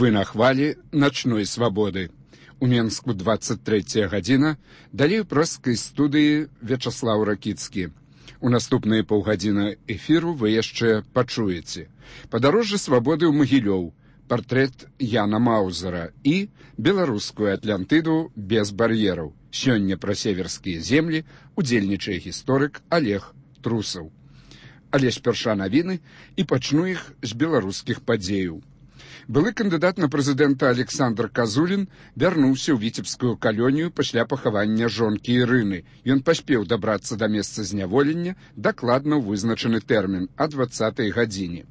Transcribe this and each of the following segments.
Вы на хвалі начной свабоды. У Менску 23 гадзіна, далей у прэскай студыі Вячаслаў Ракіцкі. У наступныя паўгадзіны эфіру вы яшчэ пачуеце. Падарожжа свабоды ў Магілёў, партрэт Яна Маузера і беларускую Атлантыду без бар'ераў. Сёння пра северскія землі удзельнічае гісторык Олег Трусаў. Але спярша навіны і пачну іх з беларускіх падзеяў. Былы кандыдат на прэзідэнта Александр Казулін вярнуўся ў віцебскую калонію пасля пахавання жонкі Ірыны. Ён паспеў дабрацца да месца зняволення дакладна ў вызначаны тэрмін о 20-й гадзіне.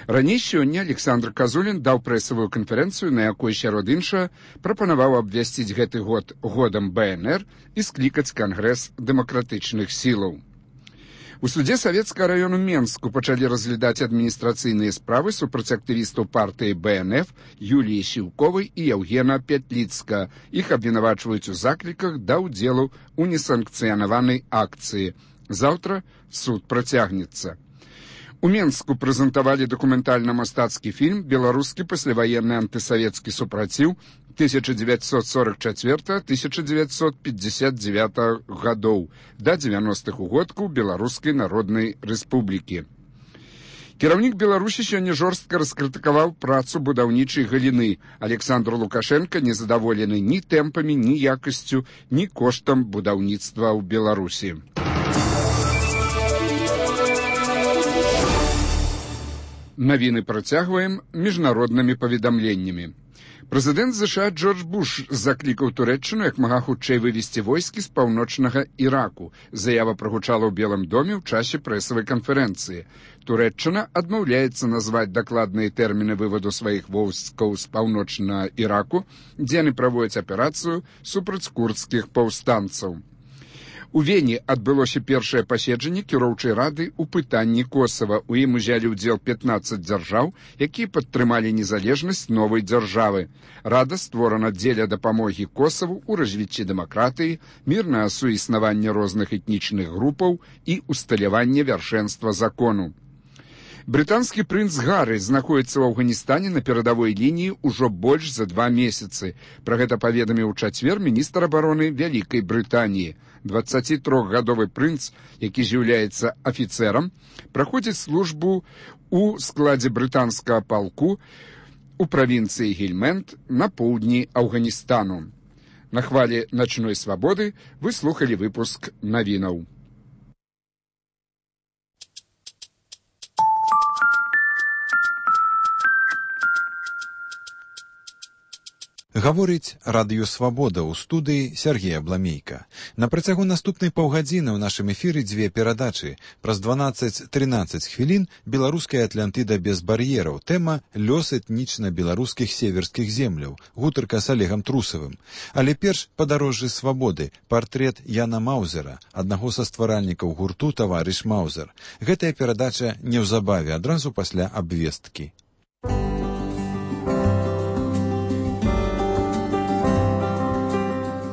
Раней сёння Александр Казулін даў прэсавую канферэнцыю, на якой, сярод іншага, прапанаваў абвясціць гэты год годам БНР і склікаць кангрэс дэмакратычных сілаў. У судзе Савецкага району Менску пачалі разглядаць адміністрацыйныя справы супраць актывістаў партыі БНФ Юліі Сіўковай і Яўгена Пятліцка. Іх абвінавачваюць у закліках да ўдзелу ў несанкцыянаванай акцыі. Заўтра суд працягнецца. У Менску прэзентавалі дакументальна-мастацкі фільм «Беларускі пасляваенны антысавецкі супраціў 1944-1959 гадоў да 90-х угодкаў Беларускай Народнай Рэспублікі». Кіраўнік Беларусі сёння жорстка раскрытыкаваў працу будаўнічай галіны. Александр Лукашенко незадаволены ні тэмпамі, ні якасцю, ні коштам будаўніцтва ў Беларусі. Навіны працягваем міжнароднымі паведамленнямі. Прэзідэнт США Джордж Буш заклікаў Турэччыну як мага хутчэй вывесці войскі з паўночнага Іраку. Заява прагучала ў Белым доме ў часе прэсавай канферэнцыі. Турэччына адмаўляецца назваць дакладныя тэрміны вываду сваіх войскаў з паўночнага Іраку, дзе яны праводзяць аперацыю супраць курдскіх паўстанцаў. У Вені адбылося першае паседжанне кіроўчай рады ў пытанні Косава. У ім узялі ўдзел 15 дзяржаў, якія падтрымалі незалежнасць новай дзяржавы. Рада створана дзеля дапамогі Косаву ў развіцці дэмакратыі, мірнае суіснаванне розных этнічных групаў і усталяванне вяршэнства закону. Брытанскі прынц Гары знаходіцца ў Афганістане на перадавой лініі ўжо больш за 2 месяцы. Пра гэта паведаміў у чацвер міністр абароны Вялікай Брытаніі. 23-гадовы прынц, які з'яўляецца афіцэрам, праходзіць службу ў складзе брытанскага палку у правінцыі Гельмэнд на поўдні Афганістану. На хвалі начной свабоды вы слухалі выпуск навінаў. Гаворыць радыёвабода ў студыі Сергея Бламейка. На працягу наступнай паўгадзіны ў нашым эфіры 2 перадачы. Праз 12-13 хвілін беларуская Атлантыда без бар'ераў. Тэма «Лёс этнічна-беларускіх северскіх земляў». Гутарка з Олегам Трусавым. Але перш падарожжы свабоды. Партрэт Яна Маузера, аднаго са стваральнікаў гурту «Таварыш Маузер». Гэтая перадача неўзабаве, адразу пасля абвесткі.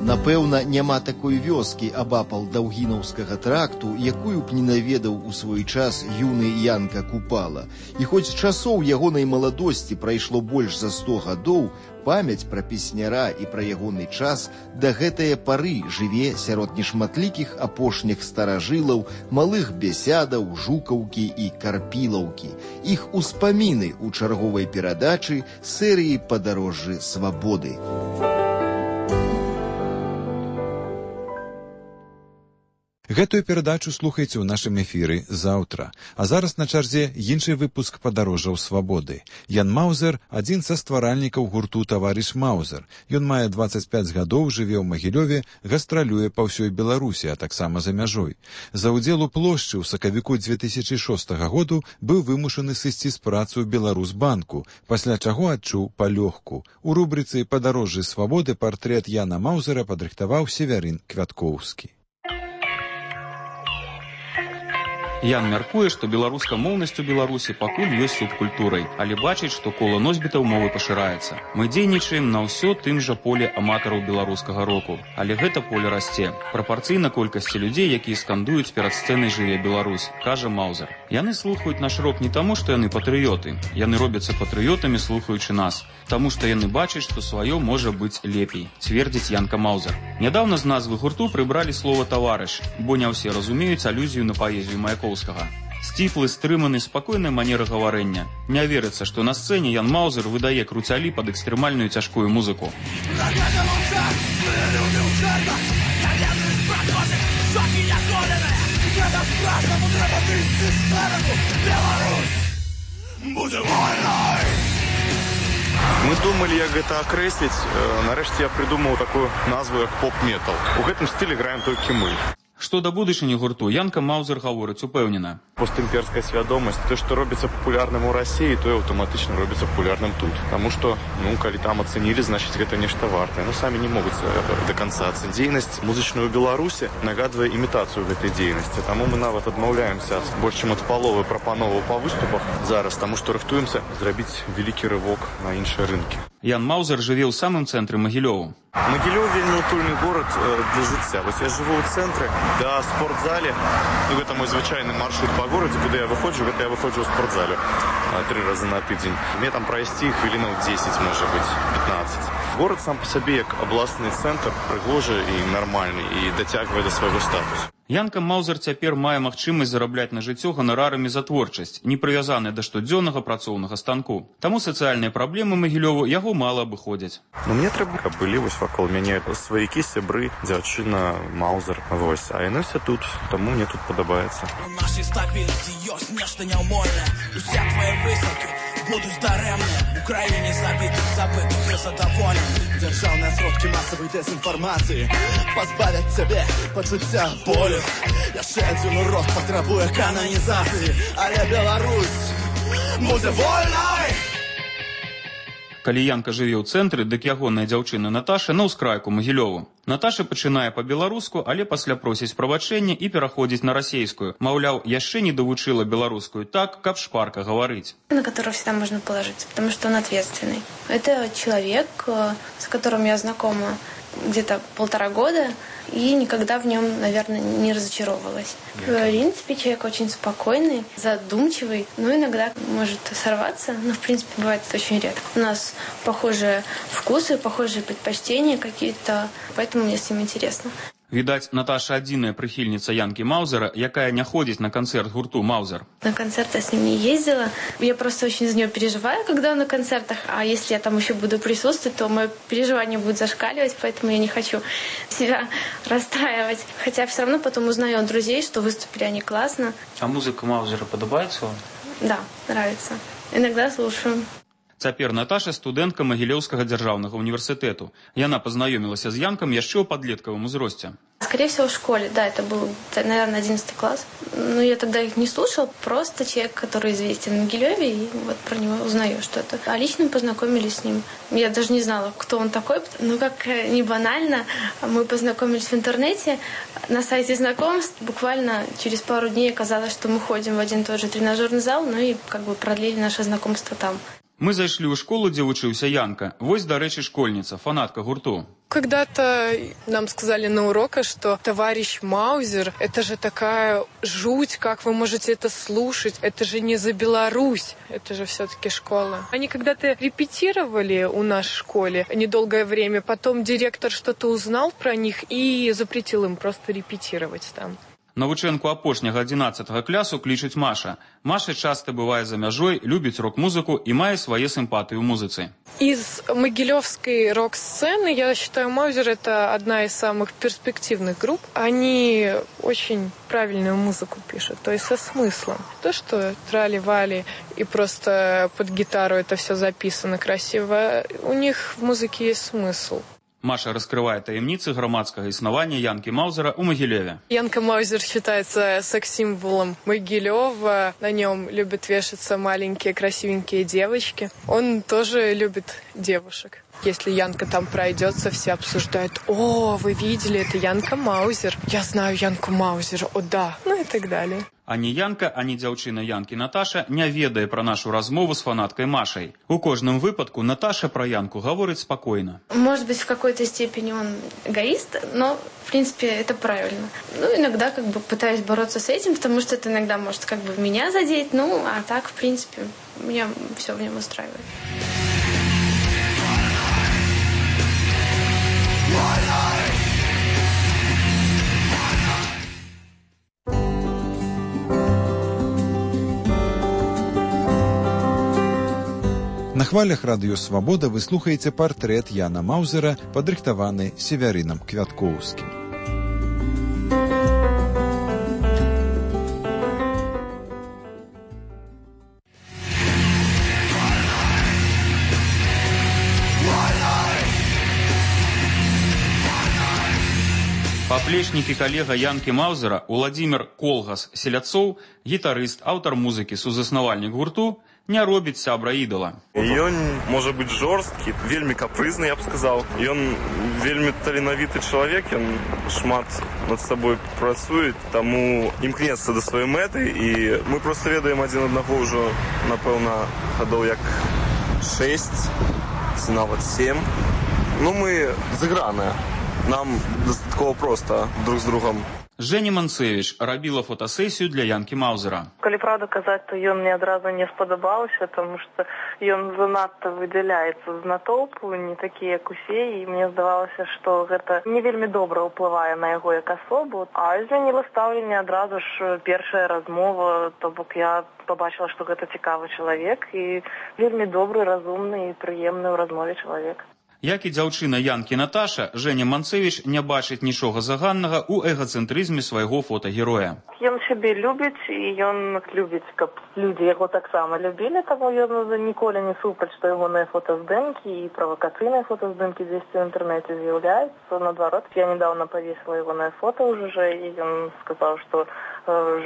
Напэўна, няма такой вёскі абапал Даўгінаўскага тракту, якую б не наведаў у свой час юны Янка Купала. І хоць часоў ягонай маладосці прайшло больш за 100 гадоў, памяць пра песняра і пра ягоны час да гэтае пары жыве сярод нешматлікіх апошніх старажылаў, малых бесядаў, жукаўкі і карпілаўкі. Іх успаміны ў чарговай перадачы серыі «Падарожжы свабоды». Гэтую перадачу слухайце ў нашым эфіры заўтра. А зараз на чарзе іншы выпуск падарожжаў свабоды. Ян Маузер – адзін са стваральнікаў гурту «Таварыш Маузер». Ён мае 25 гадоў, жыве ў Магілёве, гастралюе па ўсёй Беларусі, а таксама за мяжой. За ўдзел у плошчы ў сакавіку 2006 году быў вымушаны сысці з працы ў Беларусбанку, пасля чаго адчуў палёгку. У рубрыцы «Падарожжы свабоды» партрэт Яна Маузера падрыхтаваў Севярын Квяткоўскі. Ян мяркуе, што беларускамоўнасць у Беларусі пакуль ёсць субкультурай, але бачыць, што кола носьбітаў мовы пашыраецца. Мы дзейнічаем на ўсё тым жа поле аматараў беларускага року, але гэта поле расце. Прапарцыйна колькасці людзей, якія скандуюць перад сцэнай «Жыве Беларусь», кажа Маузер. Яны слухаюць наш рок не таму, што яны патрыёты. Яны робяцца патрыётамі, слухаючы нас. Таму што яны бачаць, што сваё можа быць лепей, цвердзіць Янка Маузер. Нядаўна з назвы гурту прыбралі слова «таварыш», бо не ўсе разумеюць алюзію на паэзію Маяковскага. Сціплы, стрыманы, спакойная манера гаварэння. Не верыцца, што на сцэне Ян Маузер выдае круцялі пад экстрэмальную цяжкую музыку. Мы думали, як гэта акрэсліць. Нарэшце я придумаў такую назву, як поп-метал. У гэтым стылі граем толькі мы. Што да будучыні гурту, Янка Маузер гаворыць упэўнена. Постімперская свядомасць, то, што робіцца папулярным у Расіі, то аўтаматычна робіцца папулярным тут. Таму што, калі там ацэнілі, значыць, гэта нешта вартае. Самі не могуць да канца ацэніць. Дзейнасць музычную ў Беларусі нагадвае імітацыю гэтай дзейнасці. Таму мы нават адмаўляемся больш чым ад паловы прапановаў па выступах зараз, таму што рыхтуемся зрабіць вялікі рывок на іншыя рынкі. Ян Маузер жыве ў самым цэнтры Магілёву. Магілёў вельмі утульны горад для жыцця. Вось я жыву ў цэнтры, да спортзале. Гэта мой звычайны маршрут па горадзе, куды я выходжу, гэта я выходжу ў спортзале 3 разы на тыдзень. Мне там прайсці хвілінаў 10, можа быць, 15. Горад сам па сабе як абласны цэнтр прыгожы і нармальны і дацягвае да свайго статусу. Янка Маузер цяпер мае магчымасць зарабляць на жыццё ганарарамі за творчасць, не прывязаная да штодзённага працоўнага станку. Таму сацыяльныя праблемы Магілёву яго мала абыходзяць. Мне трэба, каб былі вось вакол мяне сваякі, сябры, дзяўчына, Маузер. Вось, а яны все тут, таму мне тут падабаецца. У нашай стабільнасці ёсць нешта няўмольнае. Уся твае высылкі будуць дарэмныя. У краіне забытых незадаволеных. Дзяржаўныя сродкі масавай дэзінфармацыі пазбавяць цябе пачуцця болю. Яшчэ адзін урок патрабуе кананізацыі, але Беларусь будзе вольнай! Калі Янка жыве ў цэнтры, дык ягоная дзяўчына Наташа на ўскрайку Магілёву. Наташа пачынае па-беларуску, але пасля просіць прабачэння і пераходзіць на расейскую. Маўляў, яшчэ не давучыла беларускую так, каб шпарка гаварыць. На которого всегда можно положиться, потому что он ответственный. Это человек, с которым я знакома где-то 1,5 года, и никогда в нем, наверное, не разочаровалась. В принципе, человек очень спокойный, задумчивый, но иногда может сорваться, но, в принципе, бывает это очень редко. У нас похожие вкусы, похожие предпочтения какие-то, поэтому мне с ним интересно. Відаць, Наташа адзіная прыхільніца Янкі Маузера, якая не ходзіць на концерт гурту Маузер. На концерт я с ним не ездила. Я просто очень за него переживаю, когда он на концертах. А если я там еще буду присутствовать, то мое переживание будет зашкаливать, поэтому я не хочу себя расстраивать. Хотя все равно потом узнаю от друзей, что выступили они классно. А музыка Маузера падабаецца вам? Да, нравится. Иногда слушаю. Цяпер Наташа студэнтка Магілёўскага дзяржаўнага універсітэту. Яна пазнаёмілася з Янкам яшчэ ў падлеткавым узросце. Скорее всего, в школе, да, это был, наверное, 11 класс. Но я тогда их не слушал, просто человек, который известен в Могилеве, и вот про него узнаю что-то. А лично познакомились с ним. Я даже не знала, кто он такой, но как не банально, мы познакомились в интернете, на сайте знакомств. Буквально через пару дней оказалось, что мы ходим в один и тот же тренажерный зал, ну и как бы продлили наше знакомство там. Мы зайшлі ў школу, дзе вучыўся Янка. Вось, дарэчы, школьніца, фанатка гурту. Когда-то нам сказали на уроках, что товарищ Маузер, это же такая жуть, как вы можете это слушать, это же не за Беларусь, это же все-таки школа. Они когда-то репетировали у нас в школе недолгое время, потом директор что-то узнал про них и запретил им просто репетировать там. Навучэнку апошняга 11 клясу клічуць Маша. Маша часто бывае за мяжой, любіць рок-музыку и мае свае симпатии ў музыцы. Из могилевской рок-сцены, я считаю, Маузер это одна из самых перспективных групп. Они очень правильную музыку пишут, то есть со смыслом. То, что трали-вали и просто под гитару это все записано красиво, у них в музыке есть смысл. Маша раскрывает таемницы громадского існавання Янки Маузера у Могилеве. Янка Маузер считается секс-символом Могилева. На нем любят вешаться маленькие красивенькие девочки. Он тоже любит девушек. Если Янка там пройдется, все обсуждают: «О, вы видели, это Янка Маузер. Я знаю Янку Маузер, о да», ну и так далее. Ані Янка, ані дзяўчына Янкі Наташа не ведае пра нашу размову з фанаткай Машай. У кожным выпадку Наташа пра Янку гаворыць спакойна. Может быть, в какой-то степени он эгоист, но, в принципе, это правильно. Ну, иногда как бы пытаюсь бороться с этим, потому что это иногда может как бы меня задеть, ну, а так, в принципе, меня все в нем устраивает. На хвалях радыё «Свабода» вы слухаеце партрэт Яна Маузера, падрыхтаваны Севярынам Квяткоўскім. Паплечнік і калега Янкі Маузера Уладзімір Колгас-Селяцоў, гітарыст, аўтар музыкі, сузаснавальнік гурту, не робіць сябра ідала. Ён можа быць жорсткі, вельмі капрызны, я б сказаў. Ён вельмі таленавіты чалавек, ён шмат над сабой працуе, таму імкнецца да сваёй мэты, і мы проста ведаем адзін аднаго ўжо, напэўна, гадоў як 6, ці нават 7. Ну, мы зыграныя. Нам дастаткова проста друг з другом. Жэня Манцевіч рабіла фотасесію для Янкі Маузера. Калі правду казаць, то ён мне адразу не спадабаўся, тому што ён занадта выдзяляецца з натоўпу, не такі, як усе, і мне здавалася, што гэта не вельмі добра ўплывае на яго як асобу. А змяніла стаўленне адразу ж першая размова, то бок я пабачыла, што гэта цікавы чалавек і вельмі добры, разумны і прыемны ў размове чалавек. Як і дзяўчына Янкі Наташа, Жэня Манцевіч не бачыць нічога заганнага ў эгацэнтрызме свайго фотагероя. Ён сябе любіць, і ён любіць, каб людзі яго таксама любілі, таму ён ніколі не супраць, што ягоныя фотаздымкі і правакацыйныя фотаздымкі дзесьці ў інтэрнэце з'яўляюцца. Наадварот, я недавно павесіла ягонае фота ўжо, і ён сказаў, што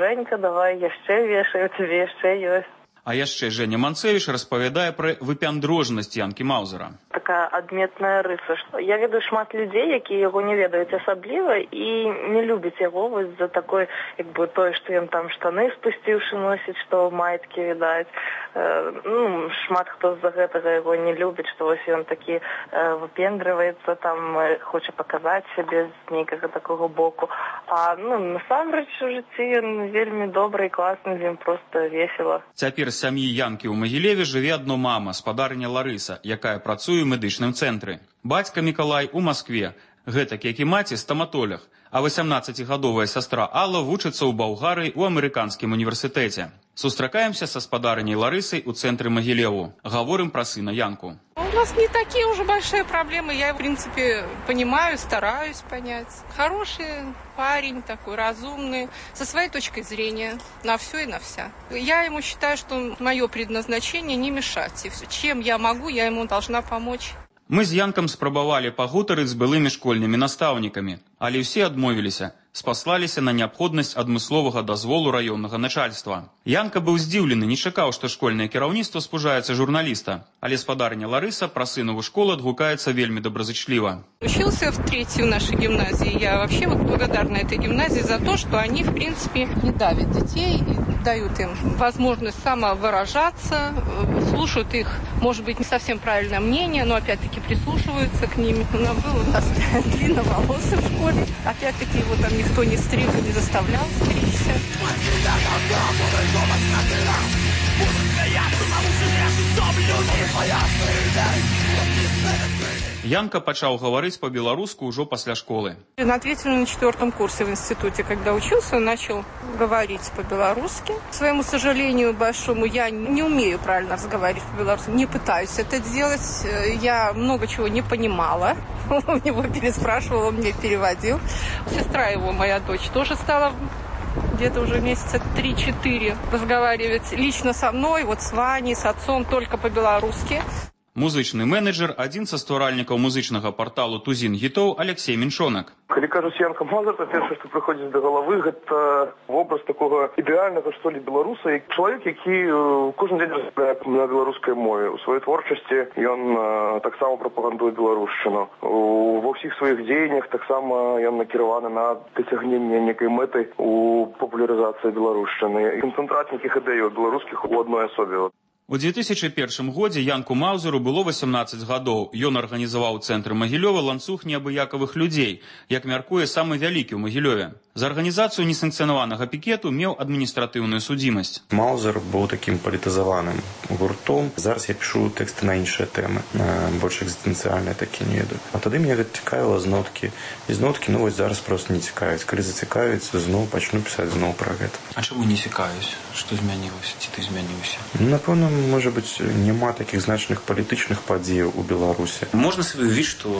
«Жэнька, давай яшчэ вешай, у цябе яшчэ ёсць». А яшчэ Жэня Манцевіч распавядае пра выпяндрожнасць Янкі Маузера. Такая адметная рыса, што я ведаю шмат людзей, якія яго не ведаюць асабліва і не любяць яго вось за такой, як бы тое, што ён там штаны спусціўшы носіць, што маіткі відаць. Ну, шмат хто з-за гэтага яго не любіць, што вось ён такі выпендрываецца, там хоча паказаць сябе з нейкага такога боку. А насамрэч у жыцці ён вельмі добры і класны, з ім проста весела. Цяпер з сям'і Янкі ў Магілеве жыве адно мама, спадарня Ларыса, якая працуе ў медычным цэнтры. Бацька Мікалай у Маскве, гэтак як і маці стаматолог, а 18-гадовая сястра Алла вучыцца ў Балгарыі ў амерыканскім універсітэце. Сустракаемся са спадарняй Ларысай у цэнтры Магілеву. Гаворым пра сына Янку. У нас не такие уже большие проблемы. Я, в принципе, понимаю, стараюсь понять. Хороший парень, такой разумный, со своей точкой зрения на все и на вся. Я ему считаю, что мое предназначение не мешать. И все. Чем я могу, я ему должна помочь. Мы з Янкам спрабавалі пагутарыць з былымі школьнымі настаўнікамі, але ўсе адмовіліся, спаслаліся на неабходнасць адмысловага дазволу раённага начальства. Янка быў здзіўлены, не чакаў, што школьнае кіраўніцтва спужаецца журналіста, але спадарня Ларыса пра сынову школу адгукаецца вельмі добразычліва. Учился в 3-й в нашей гимназии. Я вообще благодарна этой гимназии за то, что они, в принципе, не давят детей, дают им возможность самовыражаться, слушают их, может быть, не совсем правильное мнение, но опять-таки прислушиваются к ним. Был у нас длинноволосый в школе. Опять-таки его там никто не стриг и не заставлял стричься. Янка пачаў гаварыць по-беларуску ўжо пасля школы. Он ответил на 4-м курсе в институте, когда учился, он начал говорить по-белорусски. К своему сожалению большому, я не умею правильно разговаривать по-белорусски, не пытаюсь это делать. Я много чего не понимала. Он его переспрашивал, он мне переводил. Сестра его, моя дочь, тоже стала где-то уже месяца 3-4 разговаривать лично со мной, вот с Ваней, с отцом, только по-белорусски. Музычны менеджер, адзін са стваральнікаў музычнага парталу «Тузін гітоў» Алексей Меншонак. Калі кажуць Янка Маузер, то першае, што прыходзіць да галавы, гэта вобраз такога ідэальнага, што ли, беларуса. Чалавек, які кожны дзень размаўляе на беларускай мове. У сваёй творчасці ён таксама прапагандуе беларушчыну. Ва ўсіх сваіх дзеяннях таксама ён накіраваны на дасягненне некай мэты у папулярызацыі беларушчыны. Канцэнтрат нейкіх ідэяў беларускіх у адной асобе. У 2001 годзе Янку Маузеру было 18 гадоў. Ён арганізаваў у цэнтры Магілёва ланцуг неабыякавых людзей, як мяркуе самы вялікі ў Магілёве. За арганізацыю несанкцыянаванага пікету меў адміністратыўную судзімасць. Маузер быў такім палітызаваным гуртом. Зараз я пішу тэксты на іншыя тэмы, больш экзістэнцыяльныя такі не веду. А тады мне гэта цікавіла зноткі. І зноткі, вось зараз проста не цікавяць. Калі зацікавіць, зноў пачну пісаць зноў пра гэта. А чаму не цікавіць? Што змянілася? Ці ты змяніўся? Напэўна, можа быць, няма такіх значных палітычных падзеяў у Беларусі. Можна сабе ўявіць, што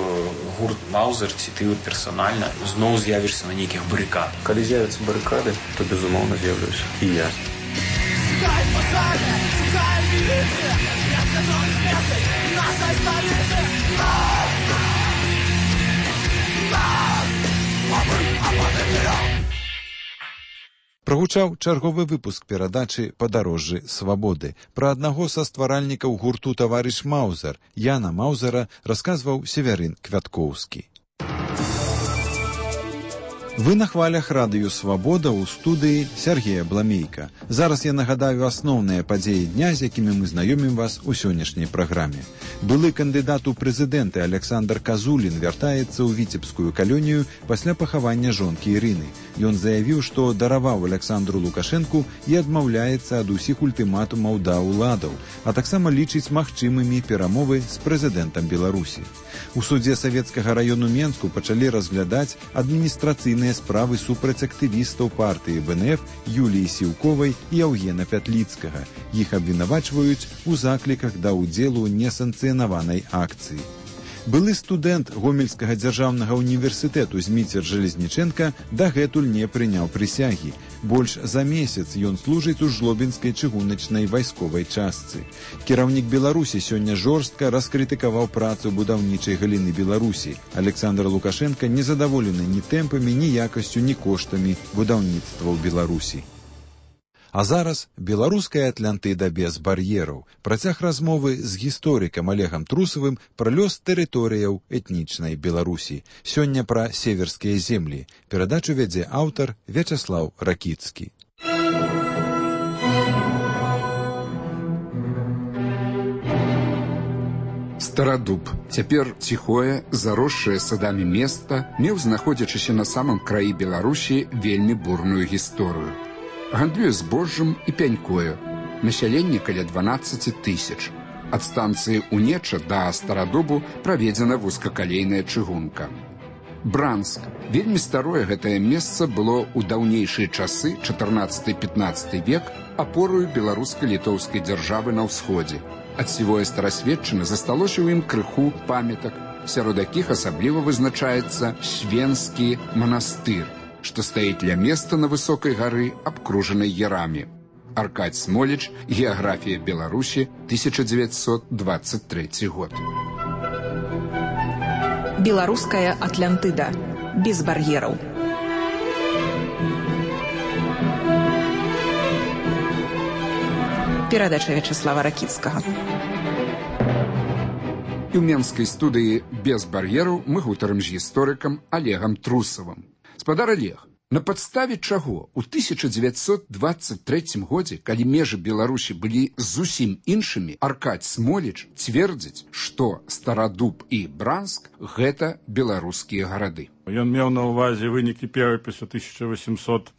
гурт Маузер, ці ты персанальна зноў з'явішся на нейкіх барыкадах. Калі з'явяцца барыкады, то, безумоўна, з'яўлюся. І я. Прагучаў чарговы выпуск перадачы «Падарожжы свабоды». Пра аднаго са стваральнікаў гурту «Таварыш Маузер» Яна Маузера расказваў Северын Квяткоўскі. Вы на хвалях радыё «Свабода» ў студыі Сергея Бламейка. Зараз я нагадаю асноўныя падзеі дня, з якімі мы знаёмім вас у сённяшняй праграме. Былы кандыдат у прэзідэнты Александр Казулін вяртаецца ў віцебскую калонію пасля пахавання жонкі Ірыны. Ён заявіў, што дараваў Александру Лукашэнку і адмаўляецца ад усіх ультыматумаў да ўладаў, а таксама лічыць магчымымі перамовы з прэзідэнтам Беларусі. У судзе Савецкага раёну Менску пачалі разглядаць адміністрацыйныя справы супраць актывістаў партыі ВНФ Юліі Сіўковай і Яўгена Пятліцкага. Іх абвінавачваюць у закліках да ўдзелу ў несанкцыянаванай акцыі. Былы студэнт Гомельскага дзяржаўнага універсітэту Зміцер Жалезніченка дагэтуль не прыняў прысягі. Больш за месяц ён служыць у жлобінскай чыгуначнай вайсковай частцы. Кіраўнік Беларусі сёння жорстка раскрытыкаваў працу будаўнічай галіны Беларусі. Александр Лукашенко незадаволены ні тэмпамі, ні якасцю, ні коштамі будаўніцтва ў Беларусі. А зараз беларуская Атлантыда без бар'ераў. Працяг размовы з гісторыкам Олегам Трусавым пра лёс тэрыторыяў этнічнай Беларусі. Сёння пра северскія землі. Перадачу вядзе аўтар Вячаслаў Ракіцкі. Старадуб, цяпер ціхое, заросшае садамі места, меў, знаходзячыся на самым краі Беларусі, вельмі бурную гісторыю. Гандлюе збожжам і пянькою. Насяленне каля 12 000. Ад станцыі Унеча да Старадубу праведзена вузкакалейная чыгунка. Бранск. Вельмі старое гэтае месца было ў даўнейшыя часы, 14-15 век, апорою беларуска-літоўскай дзяржавы на ўсходзе. Ад сівое старасветчыны засталося ў ім крыху памятак, сярод якіх асабліва вызначаецца Свенскі манастыр, што стаіць ля места на высокай гары, абкружанай ярамі. Аркадь Смоліч, геаграфія Беларусі, 1923 год. Беларуская Атлантыда. Без бар'ераў. Перадача Вячаслава Ракіцкага. І ў менскай студыі «Без бар'ераў» мы гутарым з гісторыкам Олегам Трусавым. Спадар Олег, на падставе чаго ў 1923 годзе, калі межы Беларусі былі зусім іншымі, Аркадь Смоліч цвердзіць, што Старадуб і Бранск – гэта беларускія гарады. Ён меў на ўвазе вынікі перапісу 1897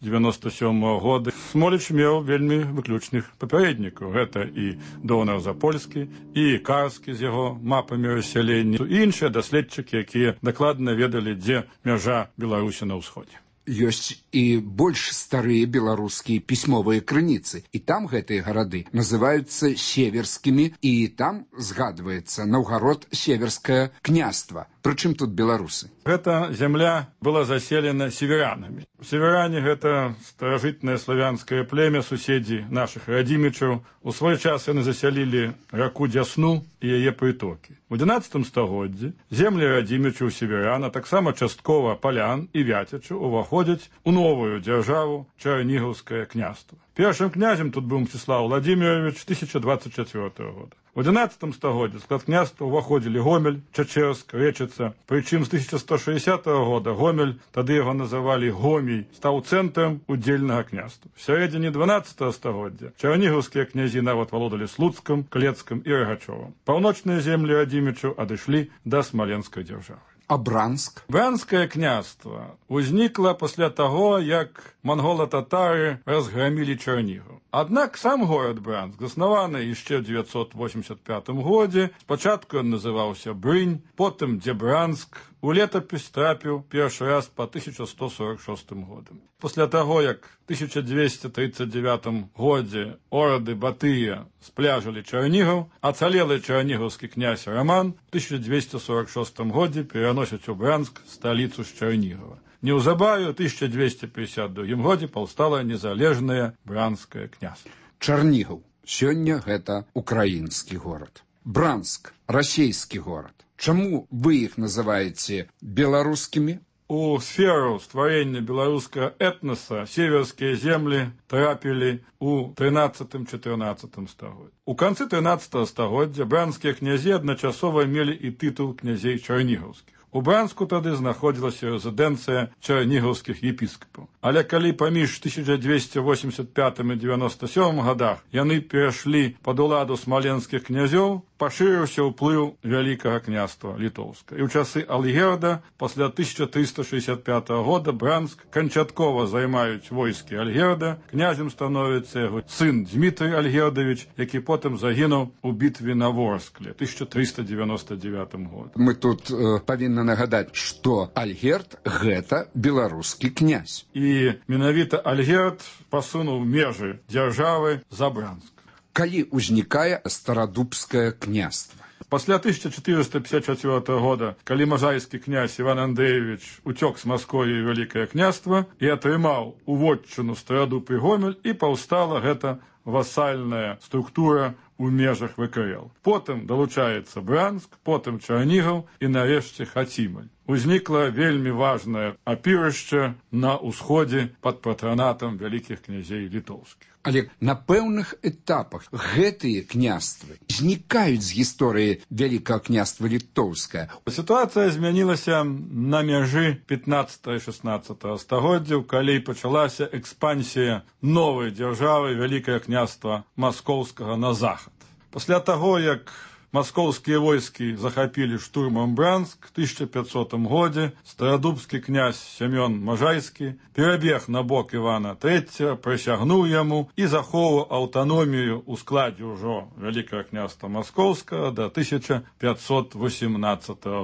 года. Смоліч меў вельмі выключных папярэднікаў. Гэта і Донар Запольскі, і Карскі з яго мапамі рассялення, і іншыя даследчыкі, якія дакладна ведалі, дзе мяжа Беларусі на ўсходзе. Ёсць і больш старыя беларускія пісьмовыя крыніцы, і там гэтыя гарады называюцца северскімі, і там згадваецца Наўгарод-Северскае княства. Прычым тут беларусы? Гэта зямля была заселена северянамі. Северяне – гэта старажытнае славянскае племя, суседзі нашых радзімічаў. У свой час яны засялілі раку Дзясну і яе прытокі. У 11 стагоддзі землі радзімічаў северян, а таксама часткова палян і вяцячаў уваходзяць у новую дзяржаву Чарнігаўскае княства. Першым князем тут быў Мсціслав Владимирович 1024 года. У 11 стагоддзі склад княства ўваходзілі Гомель, Чачэрск, Рэчыца. Прычым з 1160 года Гомель, тады яго называлі Гомій, стаў цэнтрам удзельнага княства. В сярэдзіне 12 стагоддзя чарнігаўскія князі нават валодалі Слуцкам, Клецкам і Рагачовым. Паўночныя землі радзімічаў адышлі да Смаленскай дзяржавы. А Бранск? Бранскае княства ўзнікла пасля таго, як мангола-татары разграмілі Чарнігаў. Аднак сам горад Бранск заснаваны яшчэ ў 985 годзе. Спачатку ён называўся Брынь, потым Дзебранск. У летапіс трапіў першы раз па 1146 годам. Пасля таго, як у 1239 годзе орды Батыя спляжылі Чарнігаў, ацалелы чарнігаўскі князь Раман у 1246 годзе пераносіць у Бранск сталіцу з Чарнігава. Неўзабаве у 1252 годзе паўстала незалежнае Бранскае княства. Чарнігаў. Сёння гэта украінскі горад. Бранск – расейскі горад. Чаму вы іх называеце беларускімі? У сферу стварэння беларускага этноса северскія землі трапілі у 13-14 стагоддзі. У канцы 13 стагоддзя бранскія князі адначасова мелі і тытул князей чарнігаўскіх. У Бранску тады знаходзілася рэзідэнцыя чарнігаўскіх епіскапаў. Але калі паміж 1285 і 97 годах яны перайшлі пад уладу смаленскіх князёў, пашырыўся ўплыў Вялікага княства Літоўска. І ў часы Альгерда, пасля 1365 года, Бранск канчаткова займаюць войскі Альгерда, князем становіцца яго сын Дзмітрый Альгердавіч, які потым загінуў у бітве на Ворскле 1399 году. Мы тут павінны нагадаць, што Альгерд – гэта беларускі князь. І менавіта Альгерд пасунуў межы дзяржавы за Бранск. Калі ўзнікае старадубскае княства? Пасля 1454 года, калі мажайскі князь Іван Андреевич уцёк з Масковіі Вялікае княства і атрымаў уводчыну Старадуб і Гомель, і паўстала гэта васальная структура у межах ВКЛ. Потым далучаецца Бранск, потым Чарнігаў і нарэшце Хацімаль. Узнікла вельмі важнае апірышча на ўсходзе пад патранатам вялікіх князей літоўскіх. Але на пэўных этапах гэтыя княствы знікаюць з гісторыі Вялікага княства Літоўскае. Сітуацыя змянілася на мяжы 15-16 стагоддзяў, калі пачалася экспансія новай дзяржавы Вялікае княства Маскоўскага на захад. Пасля таго, як маскоўскія войскі захапілі штурмам Бранск в 1500 годзе, старадубскі князь Сямён Мажайскі перабег на бок Івана III, прысягнуў яму і захоўваў аўтаномію ў складзе ўжо Вялікага княства Маскоўскага да 1518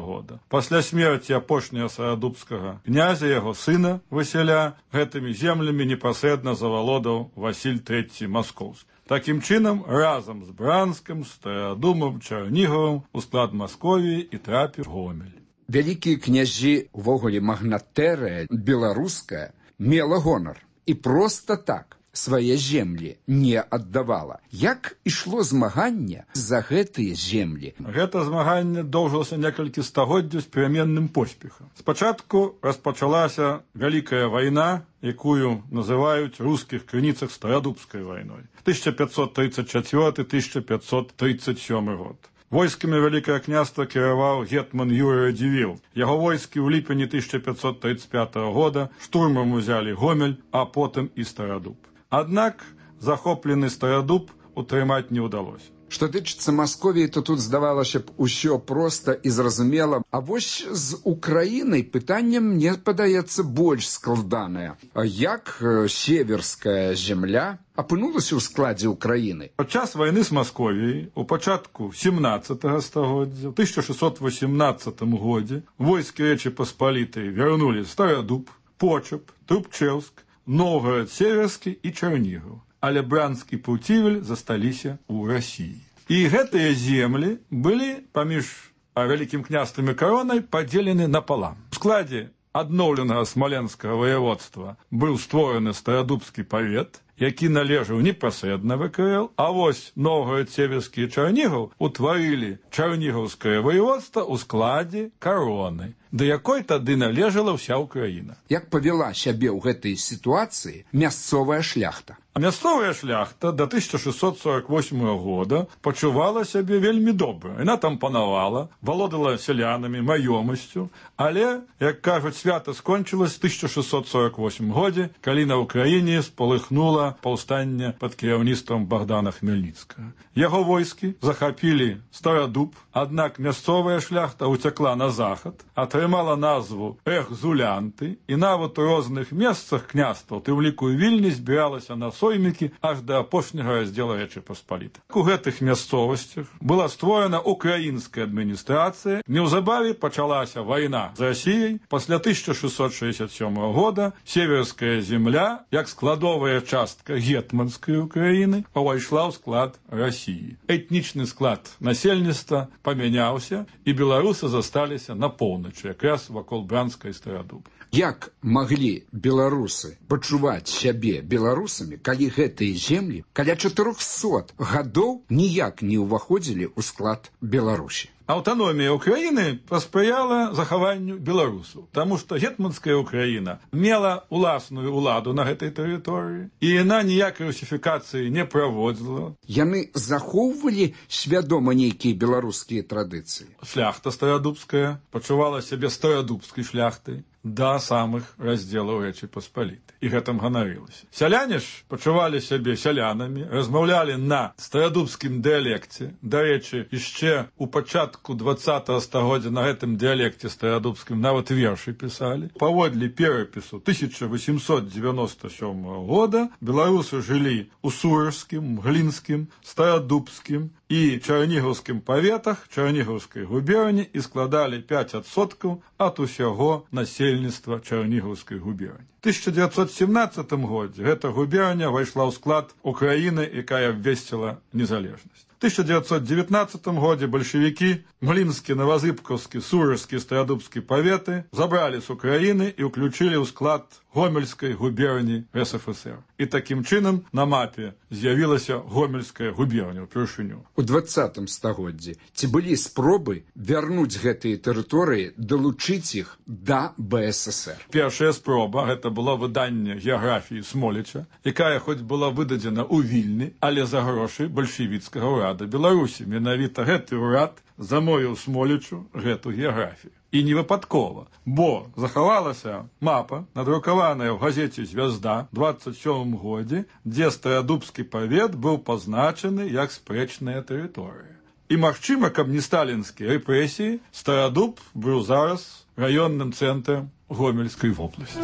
года. Пасля смерці апошняга старадубскага князя, яго сына Васіля, гэтымі землямі непасрэдна завалодаў Васіль III Маскоўскі. Такім чынам, разам з Бранскам, Старадумам, Чарнігавым у склад Масковіі і трапіў Гомель. Вялікія князі, увогуле магнатэрыя беларуская, мела гонар. І проста так свае землі не аддавала. Як ішло змаганне за гэтыя землі? Гэта змаганне доўжылася некалькі стагоддзяў з пераменным поспехам. Спачатку распачалася Вялікая вайна, якую называюць у рускіх крыніцах Старадубскай вайной. 1534-1537 год. Войскамі Вялікае княства кіраваў гетман Юрый Радзівіл. Яго войскі ў ліпені 1535 года штурмам узялі Гомель, а потым і Старадуб. Аднак захоплены Старадуб утрымаць не ўдалося. Што тычыцца Масковіі, то тут здавалася б усё проста і зразумела. А вось з Украінай пытанне, мне падаецца, больш складанае. Як северская земля апынулася ў складзе Украіны? Падчас вайны з Масковіяй у пачатку 17 стагоддзя, у 1618 годзе, войскі Рэчы Паспалітай вярнулі Старадуб, Почап, Трубчэўск, Новгарад Северскі і Чарнігаў. Але Бранск і Пуцівель засталіся ў Расіі. І гэтыя землі былі паміж Вялікім княствам і каронай падзелены напалам. У складзе адноўленага смаленскага воеводства быў створаны старадубскі павет, які належаў непасрэдна ВКЛ, а вось Новгород-Северскі і Чарнігаў утварылі Чарнігаўскае воеводства ў складзе кароны, да якой тады належала ўся ўкраіна. Як павяла сябе ў гэтай сітуацыі мясцовая шляхта? Мясцовая шляхта до 1648 года пачувала сябе вельмі добра. Яна там панавала, валодала сялянамі, маёмасцю, але, як кажуць, свята скончылась в 1648 годзе, калі на ўкраіне спалыхнула паўстанне пад кіраўніцтвам Богдана Хмельніцкага. Яго войскі захапілі Старадуб, аднак мясцовая шляхта уцякла на захад, атрымала назву Эхзулянты, і нават у розных месцах княстваў, ты ў ліку Вільні, збіралася на соймікі аж да апошняга раздзела Рэчы Паспалітай. У гэтых мясцовасцях была створана украінская адміністрацыя. Неўзабаве пачалася вайна з Расіяй. Пасля 1667 года северская земля, як складовая частка гетманскай Украіны, павайшла ў склад Расіі. Этнічны склад насельніцтва памяняўся, і беларусы засталіся на поўначы, якраз вакол Бранска і Старадуба. Як маглі беларусы пачуваць сябе беларусамі, калі гэтыя землі каля 400 гадоў ніяк не ўваходзілі ў склад Беларусі? Аўтаномія Украіны паспрыяла захаванню беларусаў, таму што гетманская Украіна мела уласную ўладу на гэтай тэрыторыі, і яна ніякай русіфікацыі не праводзіла. Яны захоўвалі свядома нейкія беларускія традыцыі. Шляхта старадубская пачувала сябе старадубскай шляхтай да самых раздзелаў Рэчы Паспалітай. І гэтым ганарылася. Сяляне ж пачувалі сябе сялянамі, размаўлялі на старадубскім дыялекце. Дарэчы, яшчэ у пачатку 20-го стагоддзя на гэтым дыялекце старадубскім нават вершы пісалі. Паводле перапісу 1897 года беларусы жылі у Сурожскім, Глінскім, Старадубскім і Чарнігаўскім паветах Чарнігаўскай губерні і складалі 5% ад усяго насельніцтва Чарнігаўскай губерні. У 1917 годзе гэта губерня вайшла ў склад Украіны, якая абвесціла незалежнасць. В 1919 годзе бальшавікі Млінскі, Новазыбкаўскі, Сурожскі і Старадубскі паветы забралі з Украіны і ўключылі ў склад Гомельскай губерні РСФСР. І такім чынам на мапе з'явілася Гомельская губерня ўпершыню. У 20 стагоддзі ці былі спробы вярнуць гэтыя тэрыторыі, далучыць іх да БССР? Першая спроба гэта было выданне геаграфіі Смоліча, якая хоць была выдадзена ў Вільні, але за грошы бальшавіцкага ўрада Беларусі. Менавіта гэты ўрад замовіў Смолічу гэту геаграфію. І не выпадкова, бо захавалася мапа, надрукаваная ў газеце «Звязда» ў 27 годзе, дзе Старадубскі павет быў пазначаны як спрэчная тэрыторыя. І магчыма, каб не сталінскія рэпрэсіі, Старадуб быў зараз раённым цэнтрам Гомельскай вобласці.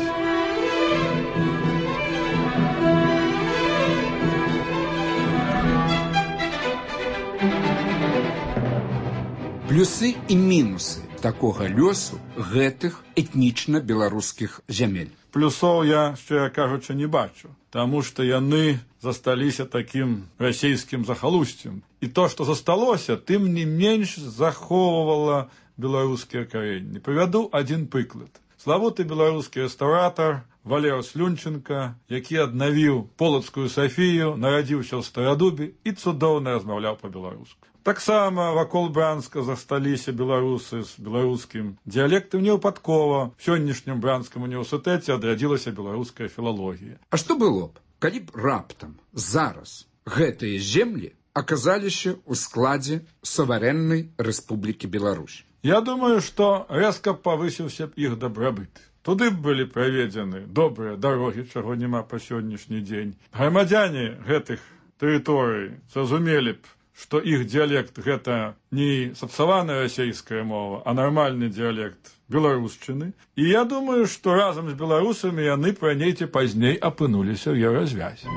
Плюсы і мінусы такога лёсу гэтых этнічна-беларускіх зямель. Плюсоў я, шчыра кажучы, не бачу, таму што яны засталіся такім расійскім захалусцем. І то, што засталося, тым не менш захоўвала беларускія карэнні. Прывяду адзін прыклад. Славуты беларускі рэстаўратар Валер Слюнченка, які аднавіў Полацкую Сафію, нарадзіўся ў Старадубе і цудоўна размаўляў па-беларуску. Таксама вакол Бранска засталіся беларусы з беларускім дыялектам невыпадкова. В сённяшнім Бранскім універсітэце адрадзілася беларуская філалогія. А што было б, калі б раптам зараз гэтыя землі аказаліся ў складзе суверэннай Рэспублікі Беларусь? Я думаю, што рэзка павысіўся б іх дабрабыт. Туды б былі праведзены добрыя дарогі, чаго няма па сённяшні дзень. Грамадзяне гэтых тэрыторый зразумелі б, што іх дыялект гэта не сапсаваная расійская мова, а нармальны дыялект беларушчыны. І я думаю, што разам з беларусамі яны раней ці пазней апынуліся ў еўразвязі.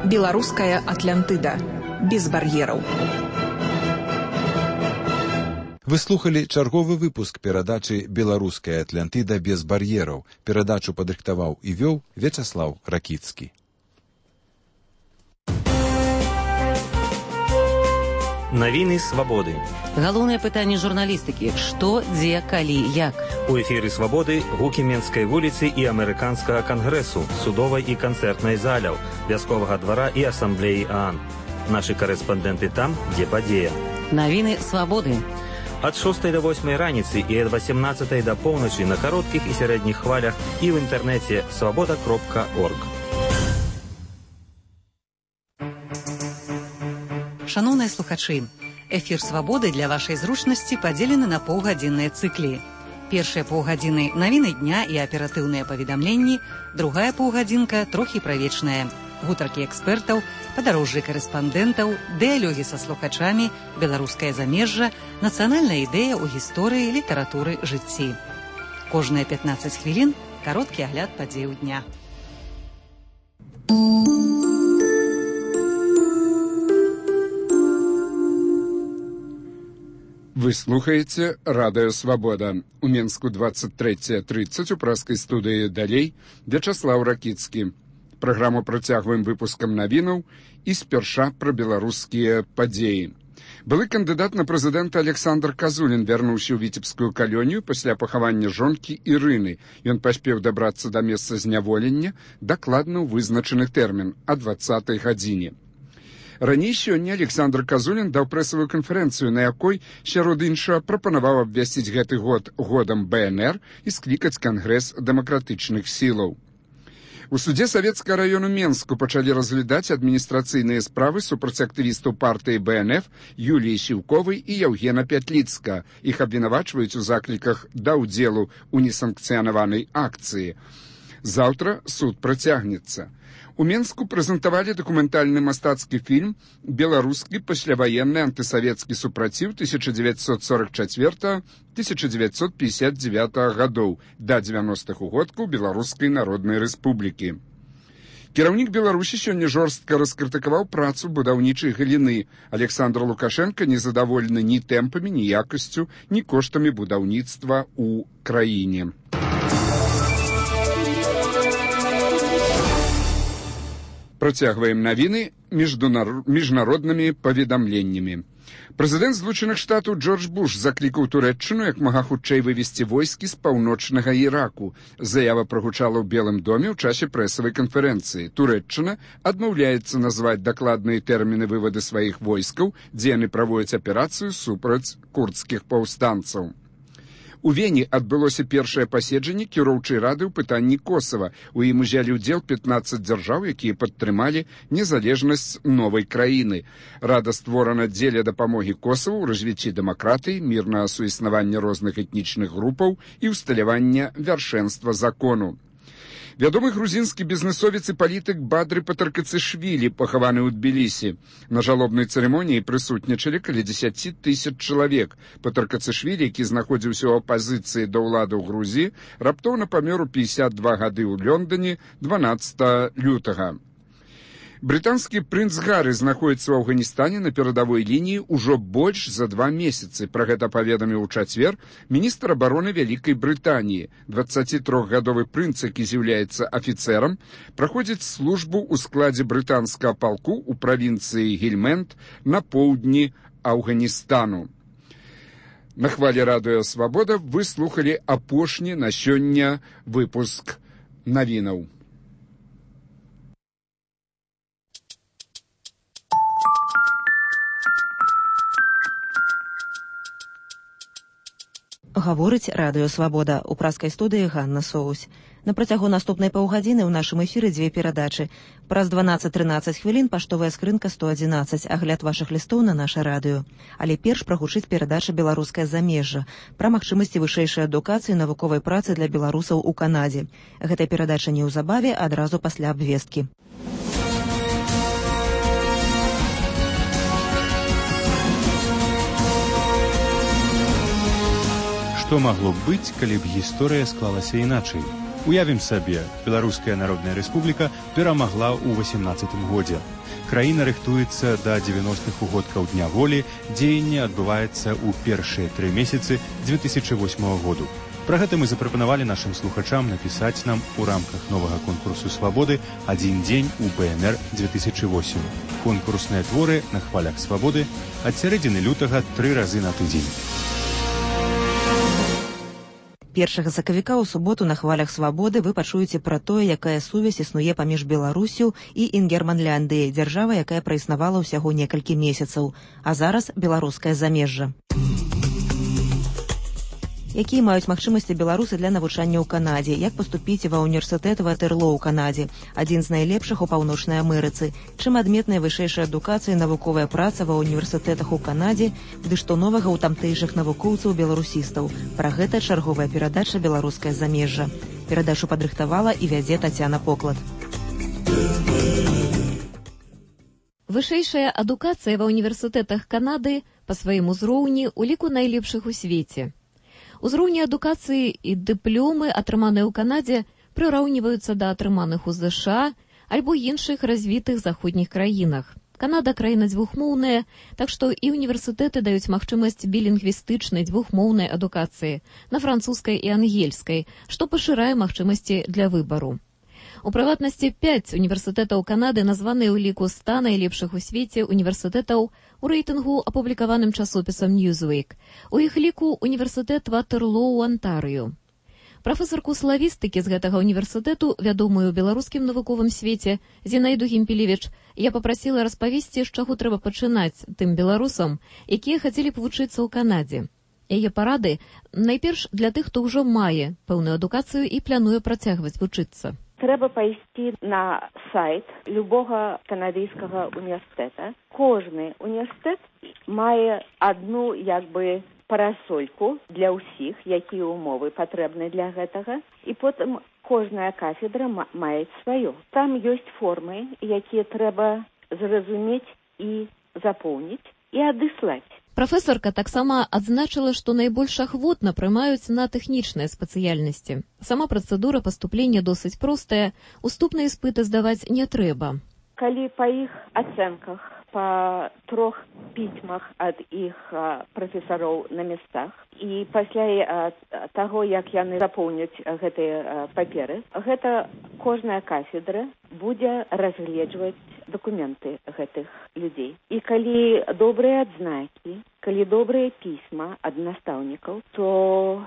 Беларуская Атлантыда. Без бар'ераў. Вы слухалі чарговы выпуск перадачы «Беларуская Атлантыда без бар'ераў». Перадачу падрыхтаваў і вёў Вячаслаў Ракіцкі. Навіны свабоды. Галоўнае пытанне журналістыкі: што, дзе, калі, як. У эфіры свабоды гукі Менскай вуліцы і амерыканскага кангрэсу, судовай і канцэртнай заляў, вясковага двара і асамблеі ААН. Нашы карэспандэнты там, дзе падзея. Навіны свабоды. Ад 6 до 8 раніцы і ад 18 до поўначы на кароткіх і сярэдніх хвалях і ў інтэрнэце свабода.орг. Шаноўныя слухачы, эфір «Свабоды» для вашай зручнасці падзелены на паўгадзінныя цыклі. Першыя паўгадзіны – навіны дня і аператыўныя паведамленні, другая паўгадзінка – трохі пра вечнае. Гутаркі экспертаў, падарожжы карэспандэнтаў, дыялогі са слухачамі, беларускае замежжа, нацыянальная ідэя ў гісторыі, літаратуры, жыцці. Кожныя 15 хвілін – кароткі агляд падзеяў дня. Вы слухаеце радыё «Свабода». У Менску 23:30 у праскай студыі «Далей» Вячаслаў Ракіцкі. Праграму працягваем выпускам навінаў і спярша пра беларускія падзеі. Былы кандыдат на прэзідэнта Александр Казулін вярнуўся ў віцебскую калонію пасля пахавання жонкі Ірыны. Ён паспеў дабрацца да месца зняволення дакладна ў вызначаны тэрмін о 20-й гадзіне. Раней сёння Александр Казулін даў прэсавую канферэнцыю, на якой, сярод іншага, прапанаваў абвясціць гэты год годам БНР і склікаць кангрэс дэмакратычных сілаў. У судзе Савецкага раёну Менску пачалі разглядаць адміністрацыйныя справы супраць актывістаў партыі БНФ Юліі Сіўковай і Яўгена Пятліцка. Іх абвінавачваюць у закліках да ўдзелу ў несанкцыянаванай акцыі. Заўтра суд працягнецца. У Менску прэзентавалі дакументальны мастацкі фільм «Беларускі пасляваенны антысавецкі супраціў 1944-1959 гадоў да 90-х угодкаў Беларускай Народнай Рэспублікі». Кіраўнік Беларусі сёння жорстка раскрытыкаваў працу будаўнічай галіны. Александр Лукашенко незадаволены ні тэмпамі, ні якасцю, ні коштамі будаўніцтва ў краіне. Працягваем навіны міжнароднымі паведамленнямі. Прэзідэнт Злучаных Штатаў Джордж Буш заклікаў Турэччыну як мага хутчэй вывесці войскі з паўночнага Іраку. Заява прагучала ў Белым доме ў часе прэсавай канферэнцыі. Турэччына адмаўляецца назваць дакладныя тэрміны вываду сваіх войскаў, дзе яны праводзяць аперацыю супраць курдскіх паўстанцаў. У Вені адбылося першае паседжанне кіроўчай рады ў пытанні Косава. У ім узялі ўдзел 15 дзяржаў, якія падтрымалі незалежнасць новай краіны. Рада створана дзеля дапамогі Косаву ў развіцці дэмакратыі, мірнага суіснавання розных этнічных групаў і ўсталявання вяршэнства закону. Вядомы грузінскі бізнесовец і палітык Бадры Патаркацышвілі пахаваны ў Тбілісі. На жалобнай цырымоніі прысутнічалі каля 10 000 чалавек. Патаркацышвілі, які знаходзіўся ў апазіцыі да ўлады ў Грузіі, раптоўна памёр у 52 гады ў Лондоне 12 лютага. Брытанскі прынц Гары знаходіцца ў Афганістане на перадавой лініі ўжо больш за 2 месяцы. Пра гэта паведаміў у чацвер міністр абароны Вялікай Брытаніі. 23-гадовы прынц, які з'яўляецца афіцэрам, праходзіць службу ў складзе брытанскага палку ў правінцыі Гельмент на поўдні Афганістану. На хвалі радыё «Свабода» вы слухалі апошні на сёння выпуск навінаў. Гаворыць радыё «Свабода». У праскай студыі Ганна Соусь. На працягу наступнай паўгадзіны ў нашым эфіры 2 перадачы. Праз 12-13 хвілін паштовая скрынка 111, агляд вашых лістоў на наша радыё. Але перш прагучыць перадача «Беларускае замежжа» пра магчымасці вышэйшай адукацыі і навуковай працы для беларусаў у Канадзе. Гэтая перадача неўзабаве, адразу пасля абвесткі. Што магло б быць, калі б гісторыя склалася іначай? Уявім сабе, Беларуская Народная Рэспубліка перамагла ў 18 годзе. Краіна рыхтуецца да 90-х угодкаў Дня волі, дзеянне адбываецца ў першыя 3 месяцы 2008 году. Пра гэта мы запрапанавалі нашым слухачам напісаць нам у рамках новага конкурсу «Свабоды» «Адзін дзень у БНР-2008». Конкурсныя творы на хвалях «Свабоды» ад сярэдзіны лютага 3 разы на тыдзень. 1 сакавіка ў суботу на хвалях «Свабоды» вы пачуеце пра тое, якая сувязь існуе паміж Беларусю і Інгерманляндыяй, дзяржава, якая праіснавала ўсяго некалькі месяцаў, а зараз беларускае замежжа. Якія маюць магчымасці беларусы для навучання ў Канадзе, як паступіць ва ўніверсітэт Ватерлоо ў Канадзе, адзін з найлепшых у Паўночнай Амерыцы, чым адметная вышэйшая адукацыя і навуковая праца ва ўніверсітэтах у Канадзе, ды што новага ў тамтэйшых навукоўцаў-беларусістаў. Пра гэта чарговая перадача «Беларускае замежжа». Перадачу падрыхтавала і вядзе Тацяна Поклад. Вышэйшая адукацыя ва ўніверсітэтах Канады па сваім узроўні ў ліку найлепшых у свеце. Узроўні адукацыі і дыпломы, атрыманыя ў Канадзе, прыраўніваюцца да атрыманых у ЗША альбо іншых развітых заходніх краінах. Канада краіна дзвюхмоўная, так што і універсітэты даюць магчымасць білінгвістычнай дзвюхмоўнай адукацыі на французскай і ангельскай, што пашырае магчымасці для выбару. У прыватнасці 5 універсітэтаў Канады названыя ў ліку 100 найлепшых у свеце універсітэтаў у рэйтынгу, апублікаваным часопісам Newsweek. У іх ліку універсітэт Ватерлоо ў Антарыё. Прафесарку славістыкі з гэтага універсітэту, вядомую ў беларускім навуковым свеце, Зінаіду Гімпелевіч, я папрасіла распавесці, з чаго трэба пачынаць тым беларусам, якія хацелі б вучыцца ў Канадзе. Яе парады найперш для тых, хто ўжо мае пэўную адукацыю і плануе працягваць вучыцца. Трэба пайсці на сайт любога канадыйскага універсітэта. Кожны універсітэт мае адну парасольку для ўсіх, якія ўмовы патрэбны для гэтага, і потым кожная кафедра мае сваё. Там ёсць формы, якія трэба зразумець і запоўніць і адыслаць. Прафесарка таксама адзначыла, што найбольш ахвотна прымаюць на тэхнічныя спецыяльнасці. Сама працэдура паступлення досыць простая, уступныя іспыты здаваць не трэба. Калі па іх ацэнках, па 3 пісьмах ад іх прафесароў на месцах, і пасля таго, як яны запоўняць гэтыя паперы, гэта кожная кафедра будзе разгледжваць дакументы гэтых людзей. І калі добрыя адзнакі, калі добрыя пісьма ад настаўнікаў, то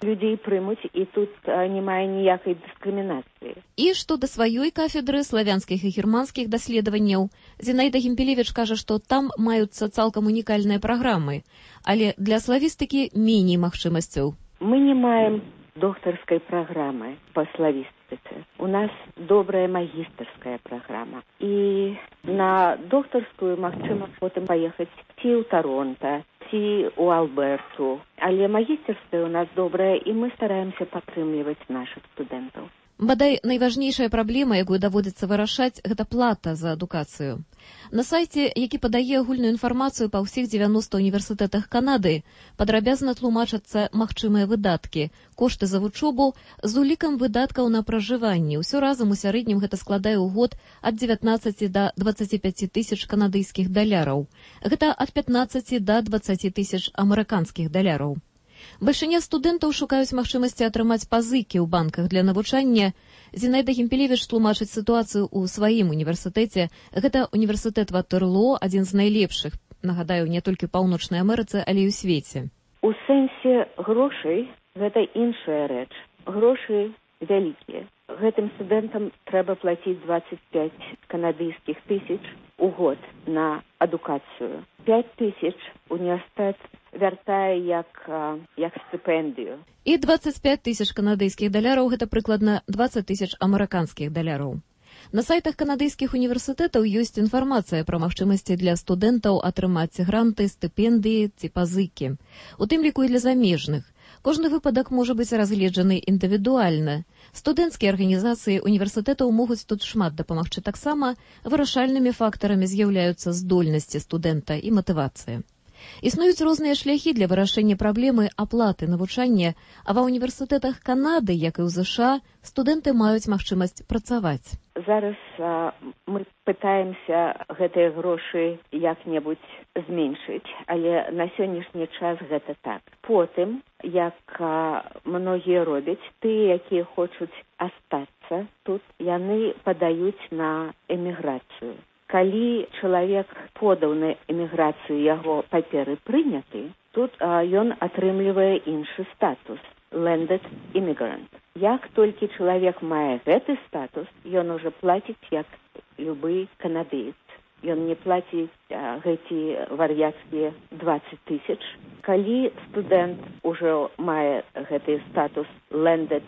людзей прымуць, і тут не мае ніякай дыскрымінацыі. І што да сваёй кафедры славянскіх і германскіх даследаванняў, Зінаіда Гімпелевіч кажа, што там маюцца цалкам унікальныя праграмы, але для славістыкі меней магчымасцяў. Мы не маем доктарскай праграмы па славістыцы. У нас добрая магістарская праграма. І на доктарскую магчыма потым паехаць ці ў Таронта, ці ў Алберту. Але магістарская у нас добрая, і мы стараемся падтрымліваць нашых студэнтаў. Бадай, найважнейшая праблема, якую даводзіцца вырашаць, гэта плата за адукацыю. На сайце, які падае агульную інфармацыю па ўсіх 90 універсітэтах Канады, падрабязна тлумачацца магчымыя выдаткі, кошты за вучобу з улікам выдаткаў на пражыванне. Усё разам у сярэднім гэта складае ў год ад 19 да 25 тысяч канадыйскіх даляраў. Гэта ад 15 да 20 тысяч амерыканскіх даляраў. Бальшыня студэнтаў шукаюць магчымасці атрымаць пазыкі ў банках для навучання. Зінаіда Гімпелевіч тлумачыць сітуацыю ў сваім універсітэце. Гэта універсітэт Ватерлоо, адзін з найлепшых, нагадаю, не толькі ў Паўночнай Амерыцы, але і ў свеце. У сэнсе грошай гэта іншая рэч. Грошы вялікія. Гэтым студэнтам трэба плаціць 25 канадыйскіх тысяч у год на адукацыю. 5 тысяч універсітэт вяртае як стыпендыю. І 25 тысяч канадыйскіх даляраў – гэта прыкладна 20 тысяч амерыканскіх даляраў. На сайтах канадыйскіх універсітэтаў ёсць інфармацыя пра магчымасці для студэнтаў атрымаць гранты, стыпендыі ці пазыкі. У тым ліку і для замежных. Кожны выпадак можа быць разгледжаны індывідуальна. Студэнцкія арганізацыі універсітэтаў могуць тут шмат дапамагчы. Таксама вырашальнымі фактарамі з'яўляюцца здольнасці студэнта і матывацыя. Існуюць розныя шляхі для вырашэння праблемы аплаты навучання, а ва універсітэтах Канады, як і ў ЗША, студэнты маюць магчымасць працаваць. Зараз мы пытаемся гэтыя грошы як-небудзь зменшыць, але на сённяшні час гэта так. Потым як многія робяць, тыя, якія хочуць астацца тут, яны падаюць на эміграцыю. Калі чалавек подаў на эміграцыю, яго паперы прыняты, тут ён атрымлівае іншы статус – landed immigrant. Як толькі чалавек мае гэты статус, ён уже плаціць як любы канадыец. Ён не плаціць гэты вар'яцкія 20 000. Калі студэнт ужо мае гэты статус landed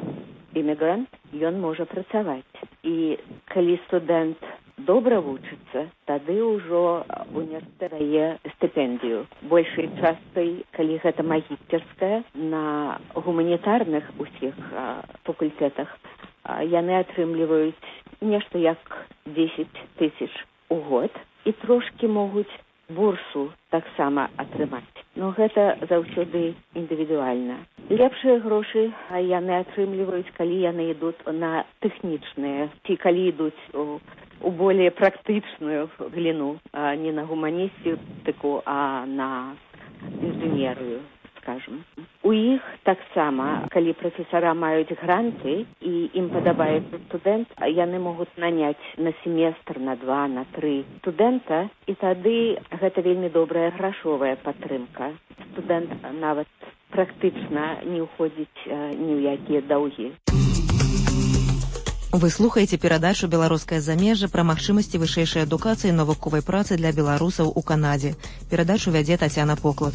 immigrant, ён можа працаваць. І калі студэнт добра вучыцца, тады ўжо універсітэт дае стыпендыю. Большай часткай, калі гэта магістэрская, на гуманітарных усіх факультэтах яны атрымліваюць нешта як 10 000 у год і трошкі могуць бурсу таксама атрымаць. Но гэта заўсёды індывідуальна. Лепшыя грошы яны атрымліваюць, калі яны ідуць на тэхнічныя, ці калі ідуць у более практычную галіну, не на гуманістыку, а на інжынерыю, скажем. У іх таксама, калі прафесара маюць гранты і ім падабаецца студэнт, яны могуць наняць на семестр, на 2, на 3 студэнта, і тады гэта вельмі добрая грашовая падтрымка. Студэнт нават практычна не ўходзіць ні ў якія даўгі. Вы слухаеце перадачу «Беларускае замежжа» пра магчымасці вышэйшай адукацыі і навуковай працы для беларусаў у Канадзе. Перадачу вядзе Тацяна Поклад.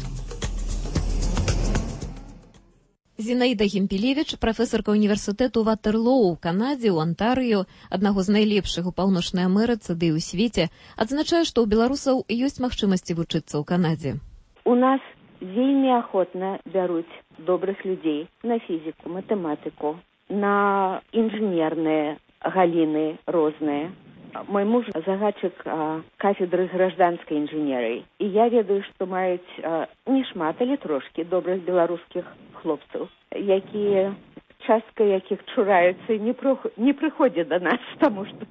Зінаіда Гімпелевіч, прафесарка універсітэту Ватерлоу ў Канадзе, ў Антарыё, аднаго з найлепшых у Паўночнай Амерыцы ды і ў свеце, адзначае, што ў беларусаў ёсць магчымасці вучыцца ў Канадзе. У нас вельмі ахвотна бяруць добрых людзей на фізіку, матэматыку, на інжынерныя галіны розныя. Мой муж загадчык кафедры гражданскай інжынерыі. І я ведаю, што маюць не шмат, але трошкі добрых беларускіх хлопцаў, якія, частка якіх чураюцца і не прыходзяць да нас, таму што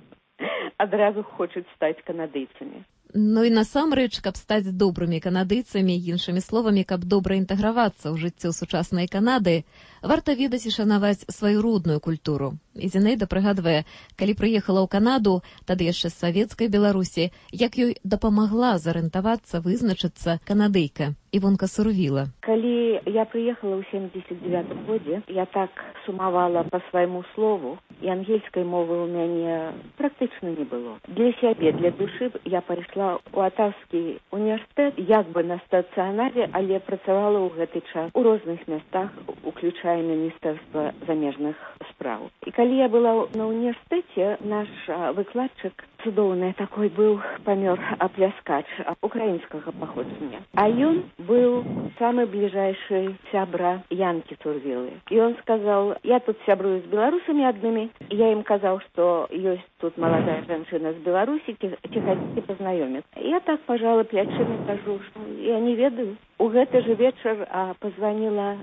адразу хочуць стаць канадыйцамі. Ну і насамрэч, каб стаць добрымі канадыйцамі, іншымі словамі, каб добра інтэгравацца ў жыццё сучаснай Канады, варта ведаць і шанаваць сваю родную культуру. І Зінаіда прыгадвае, калі прыехала ў Канаду, тады яшчэ з савецкай Беларусі, як ёй дапамагла зарыентавацца, вызначыцца канадыйка Івонка Сурвіла. Калі я прыехала ў 79 годзе, я так сумавала па свайму слову, і ангельскай мовы ў мяне практычна не было. Для сябе, для душы я пайшла ў Атаўскі універсітэт, як бы на стацыянарзе, але працавала ў гэты час у розных мястах, уключая Міністэрства замежных спраў. І калі я была на універсітэце, наш выкладчык цудоўны такой быў, памёр апляскач украінскага паходжання. А ён быў самы бліжэйшы сябра Янкі Сурвілы. І он сказал, я тут сябрую з беларусамі аднымі. Я ім казаў, што ёсць тут маладая жанчына з Беларусі, ці хацеце пазнаёміцца. Я так пажала плячымі, кажу, што я не ведаю. У гэты же вечар пазваніла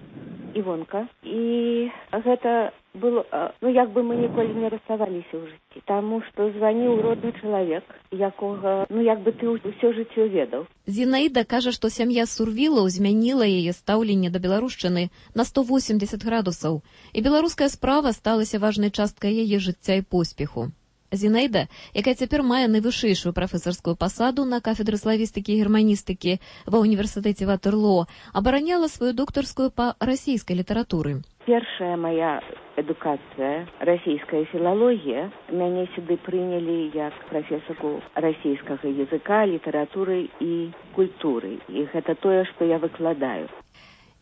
Івонка, і гэта было, як бы мы ніколі не расставаліся ў жыцці, таму што званіў родны чалавек, якога, як бы ты ўсё жыццё ведаў. Зінаіда кажа, што сям'я Сурвілаў змяніла яе стаўленне да беларушчыны на 180 градусаў, і беларуская справа сталася важнай часткай яе жыцця і поспеху. Зінаіда, якая цяпер мае найвышэйшую прафесарскую пасаду на кафедры славістыкі і германістыкі ва ўніверсітэце Ватерлоо, абараняла сваю доктарскую па расійскай літаратуры. Першая моя адукацыя, расійская філалогія, мяне сюды прынялі як прафесарку расійскага языка, літаратуры і культуры. І гэта тое, што я выкладаю.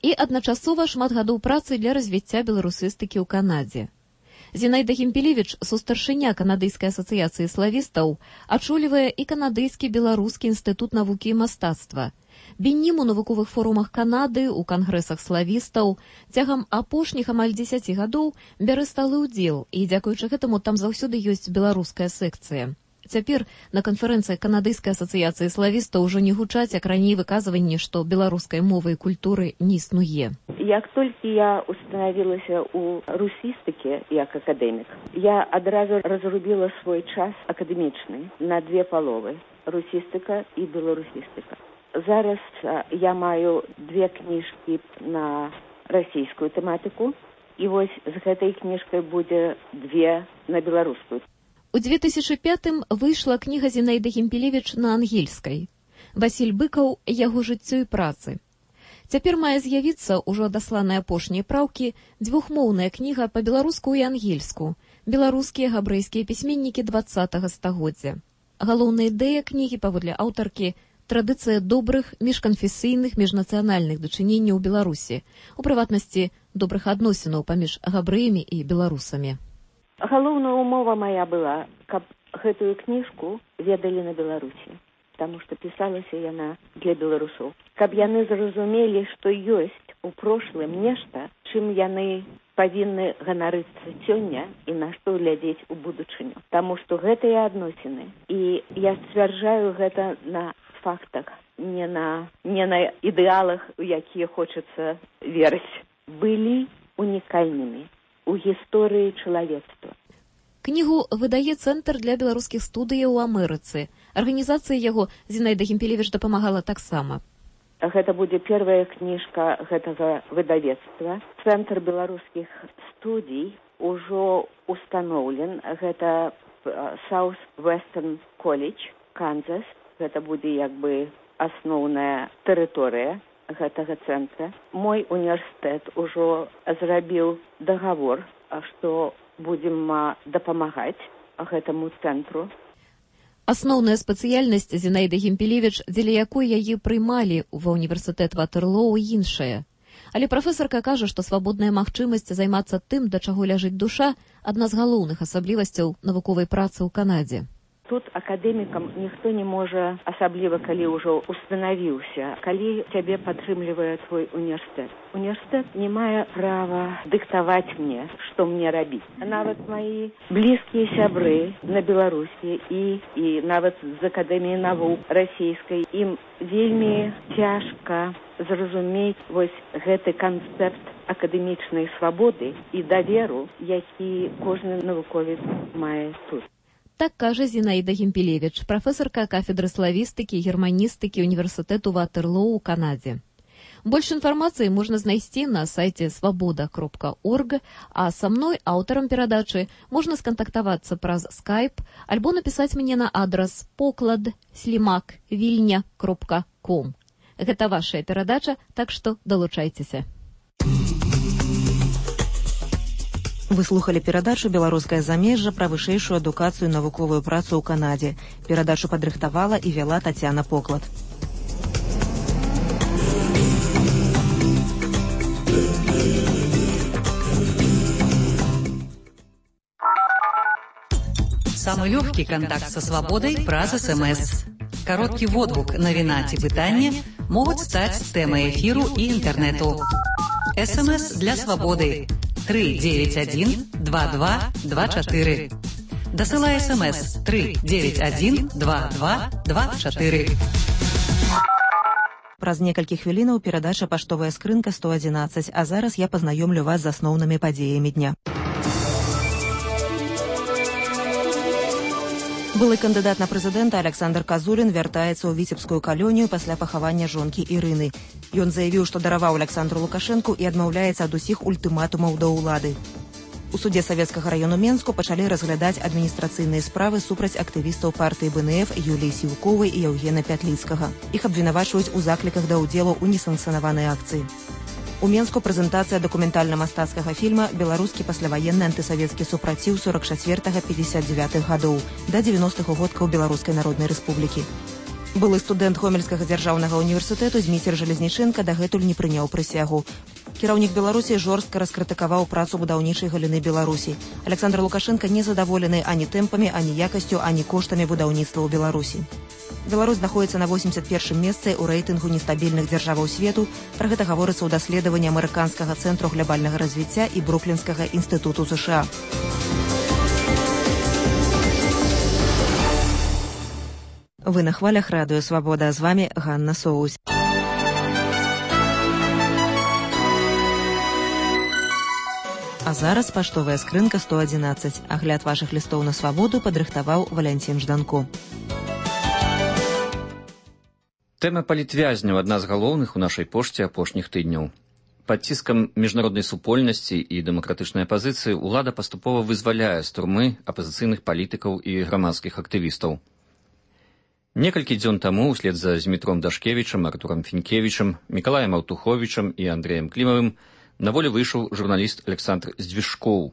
І адначасова шмат гадоў працы для развіцця беларусістыкі ў Канадзе. Зінаіда Гімпелевіч, сустаршыня Канадыйскай асацыяцыі славістаў, ачолівае і Канадыйскі беларускі інстытут навукі і мастацтва. Беннім у навуковых форумах Канады, у кангрэсах славістаў, цягам апошніх амаль 10 гадоў бярэ сталы ўдзел, і дзякуючы гэтаму там заўсёды ёсць беларуская секцыя. Цяпер на канферэнцыі Канадыйскай асацыяцыі славістаў ужо не гучаць, як раней выказванні, што беларускай мовы і культуры не існуе. Як толькі я устанавілася ў русістыке як акадэмік, я адразу разрубіла свой час акадэмічны на две паловы – русістыка і беларусістыка. Зараз я маю две кніжкі на расійскую тэматыку. І вось з гэтай кніжкай будзе 2 на беларускую. У 2005-м выйшла кніга Зінаіды Гімпелевіч на ангельскай. Васіль Быкаў «Яго жыццё і працы». Цяпер мае з'явіцца, ужо адасланыя апошнія праўкі, двухмоўная кніга па-беларуску і ангельску «Беларускія габрэйскія пісьменнікі 20-го стагоддзя». Галоўная ідэя кнігі, паводле аўтаркі, традыцыя добрых міжканфесійных міжнацыянальных дачыненняў у Беларусі, у прыватнасці добрых адносінаў паміж габрэямі і беларусамі. Галоўная умова моя была, каб гэтую кніжку ведалі на Беларусі, таму што пісалася яна для беларусоў. Каб яны зразумелі, што ёсць у прошлым нешта, чым яны павінны ганарыцца сёння і на што глядзець у будучыню. Таму што гэтыя адносіны, і я сцвярджаю гэта на фактах, не на ідэалах, у якія хочацца верыць, былі унікальнымі у гісторыі чалавецтва. Кнігу выдае Цэнтр для беларускіх студыяў у Амерыцы. Арганізацыі яго Зінаіда Гімпелевіч дапамагала таксама. Гэта будзе первая кніжка гэтага выдавецтва. Цэнтр беларускіх студій ужо установлен. Гэта South Western College, Канзас. Гэта будзе як бы асноўная тэрыторыя гэтага цэнтра. Мой універсітэт ужо зрабіў дагавор, што будзем дапамагаць гэтаму цэнтру. Асноўная спецыяльнасць Зінаіды Гімпелевіч, дзеля якой яе прымалі ва ўніверсітэт Ватерлоу, іншая. Але прафесарка кажа, што свабодная магчымасць займацца тым, да чаго ляжыць душа, адна з галоўных асаблівасцяў навуковай працы ў Канадзе. Тут акадэмікам ніхто не можа, асабліва калі ўжо устанавіўся, калі цябе падтрымлівае твой універсітэт. Універсітэт не мае права дыктаваць мне, што мне рабіць. Нават мои блізкія сябры на Беларусі і нават з Акадэміі навук расійскай, ім вельмі цяжка зразумець вось гэты канцэпт акадэмічнай свабоды і даверу, які кожны навуковец мае тут. Так кажа Зінаіда Гімпелевіч, прафесарка кафедры славістыкі і германістыкі універсітэту Ватерлоу у Канадзе. Больш інфармацыі можна знайсці на сайце свабода.орг, а са мной, аўтарам перадачы, можна скантактавацца праз Skype альбо напісаць мне на адрас poklad@vilnya.com. Гэта вашая перадача, так што далучайцеся. Вы слухали перадачу «Беларускае замежжа» пра вышэйшую адукацыю і навуковую працу ў Канадзе. Перадачу падрыхтавала і вяла Тацяна Поклад. Самый легкий контакт со свободой праз СМС. Короткий водгук, навіна ці пытанне могуць стаць тэмай эфіру і інтэрнэту. СМС для свободы 391-2224. Дасылай СМС 391-2224. Праз некалькі хвілінаў перадача «Паштовая скрынка 111», а зараз я пазнаёмлю вас з асноўнымі падзеямі дня. Былы кандыдат на прэзідэнта Александр Казулін вяртаецца ў віцебскую калонію пасля пахавання жонкі Ірыны. Ён заявіў, што дараваў Александру Лукашэнку і адмаўляецца ад усіх ультыматумаў да ўлады. У судзе Савецкага раёну Менску пачалі разглядаць адміністрацыйныя справы супраць актывістаў партыі БНФ Юліі Сіўковай і Яўгена Пятліцкага. Іх абвінавачваюць у закліках да ўдзелу ў несанкцыянаванай акцыі. У Менску прэзентацыя дакументальна-мастацкага фільма «Беларускі пасляваенны антысавецкі супраціў 44-59 гадоў» да 90-х годкаў Беларускай Народнай Рэспублікі. Былы студэнт Гомельскага дзяржаўнага універсітэту Зміцер Жалезніченка дагэтуль не прыняў прысягу. Кіраўнік Беларусі жорстка раскрытыкаваў працу будаўнічай галіны Беларусі. Александр Лукашенко не задаволены ані тэмпамі, ані якасцю, ані коштамі будаўніцтва ў Беларусі. Беларусь знаходіцца на 81-м месцы ў рэйтынгу нестабільных дзяржаваў свету. Пра гэта гаворыцца ў даследаванні амерыканскага цэнтру глябальнага развіцця і Бруклінскага інстытуту США. Вы на хвалях радыё «Свабода», з вами Ганна Соусь. А зараз паштовая скрынка 111. Агляд вашых лістоў на свабоду падрыхтаваў Валянцін Жданко. Тэма палітвязняў – адна з галоўных у нашай пошце апошніх тыдняў. Пад ціскам міжнароднай супольнасці і дэмакратычнай апазіцыі ўлада паступова вызваляе з турмы апазіцыйных палітыкаў і грамадскіх актывістаў. Некалькі дзён таму ўслед за Змітром Дашкевічам, Артурам Фінкевічам, Мікалаем Аўтуховічам і Андрэем Клімавым на волю выйшаў журналіст Александр Здвижкоў.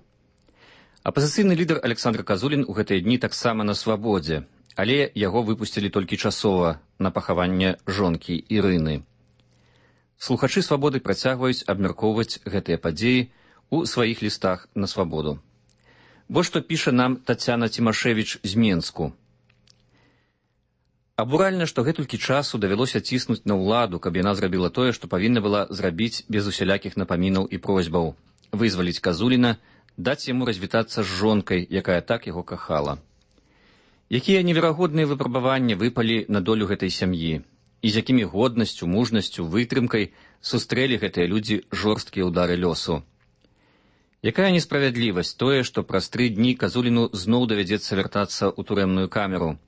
Апазіцыйны лідар Александр Казулін у гэтыя дні таксама на свабодзе, але яго выпусцілі толькі часова на пахаванне жонкі Ірыны. Слухачы свабоды працягваюць абмяркоўваць гэтыя падзеі ў сваіх лістах на свабоду. Вось што піша нам Тацяна Цімашевіч з Менску. Абуральна, што гэтулькі часу давялося ціснуць на ўладу, каб яна зрабіла тое, што павінна была зрабіць без усялякіх напамінаў і просьбаў. Вызваліць Казуліна, даць яму развітацца з жонкай, якая так яго кахала. Якія неверагодныя выпрабаванні выпалі на долю гэтай сям'і, і з якімі годнасцю, мужнасцю, вытрымкай сустрэлі гэтыя людзі жорсткія ўдары лёсу. Якая несправядлівасць тое, што праз 3 дні Казуліну зноў давядзецца вяртацца ў турэмную камеру.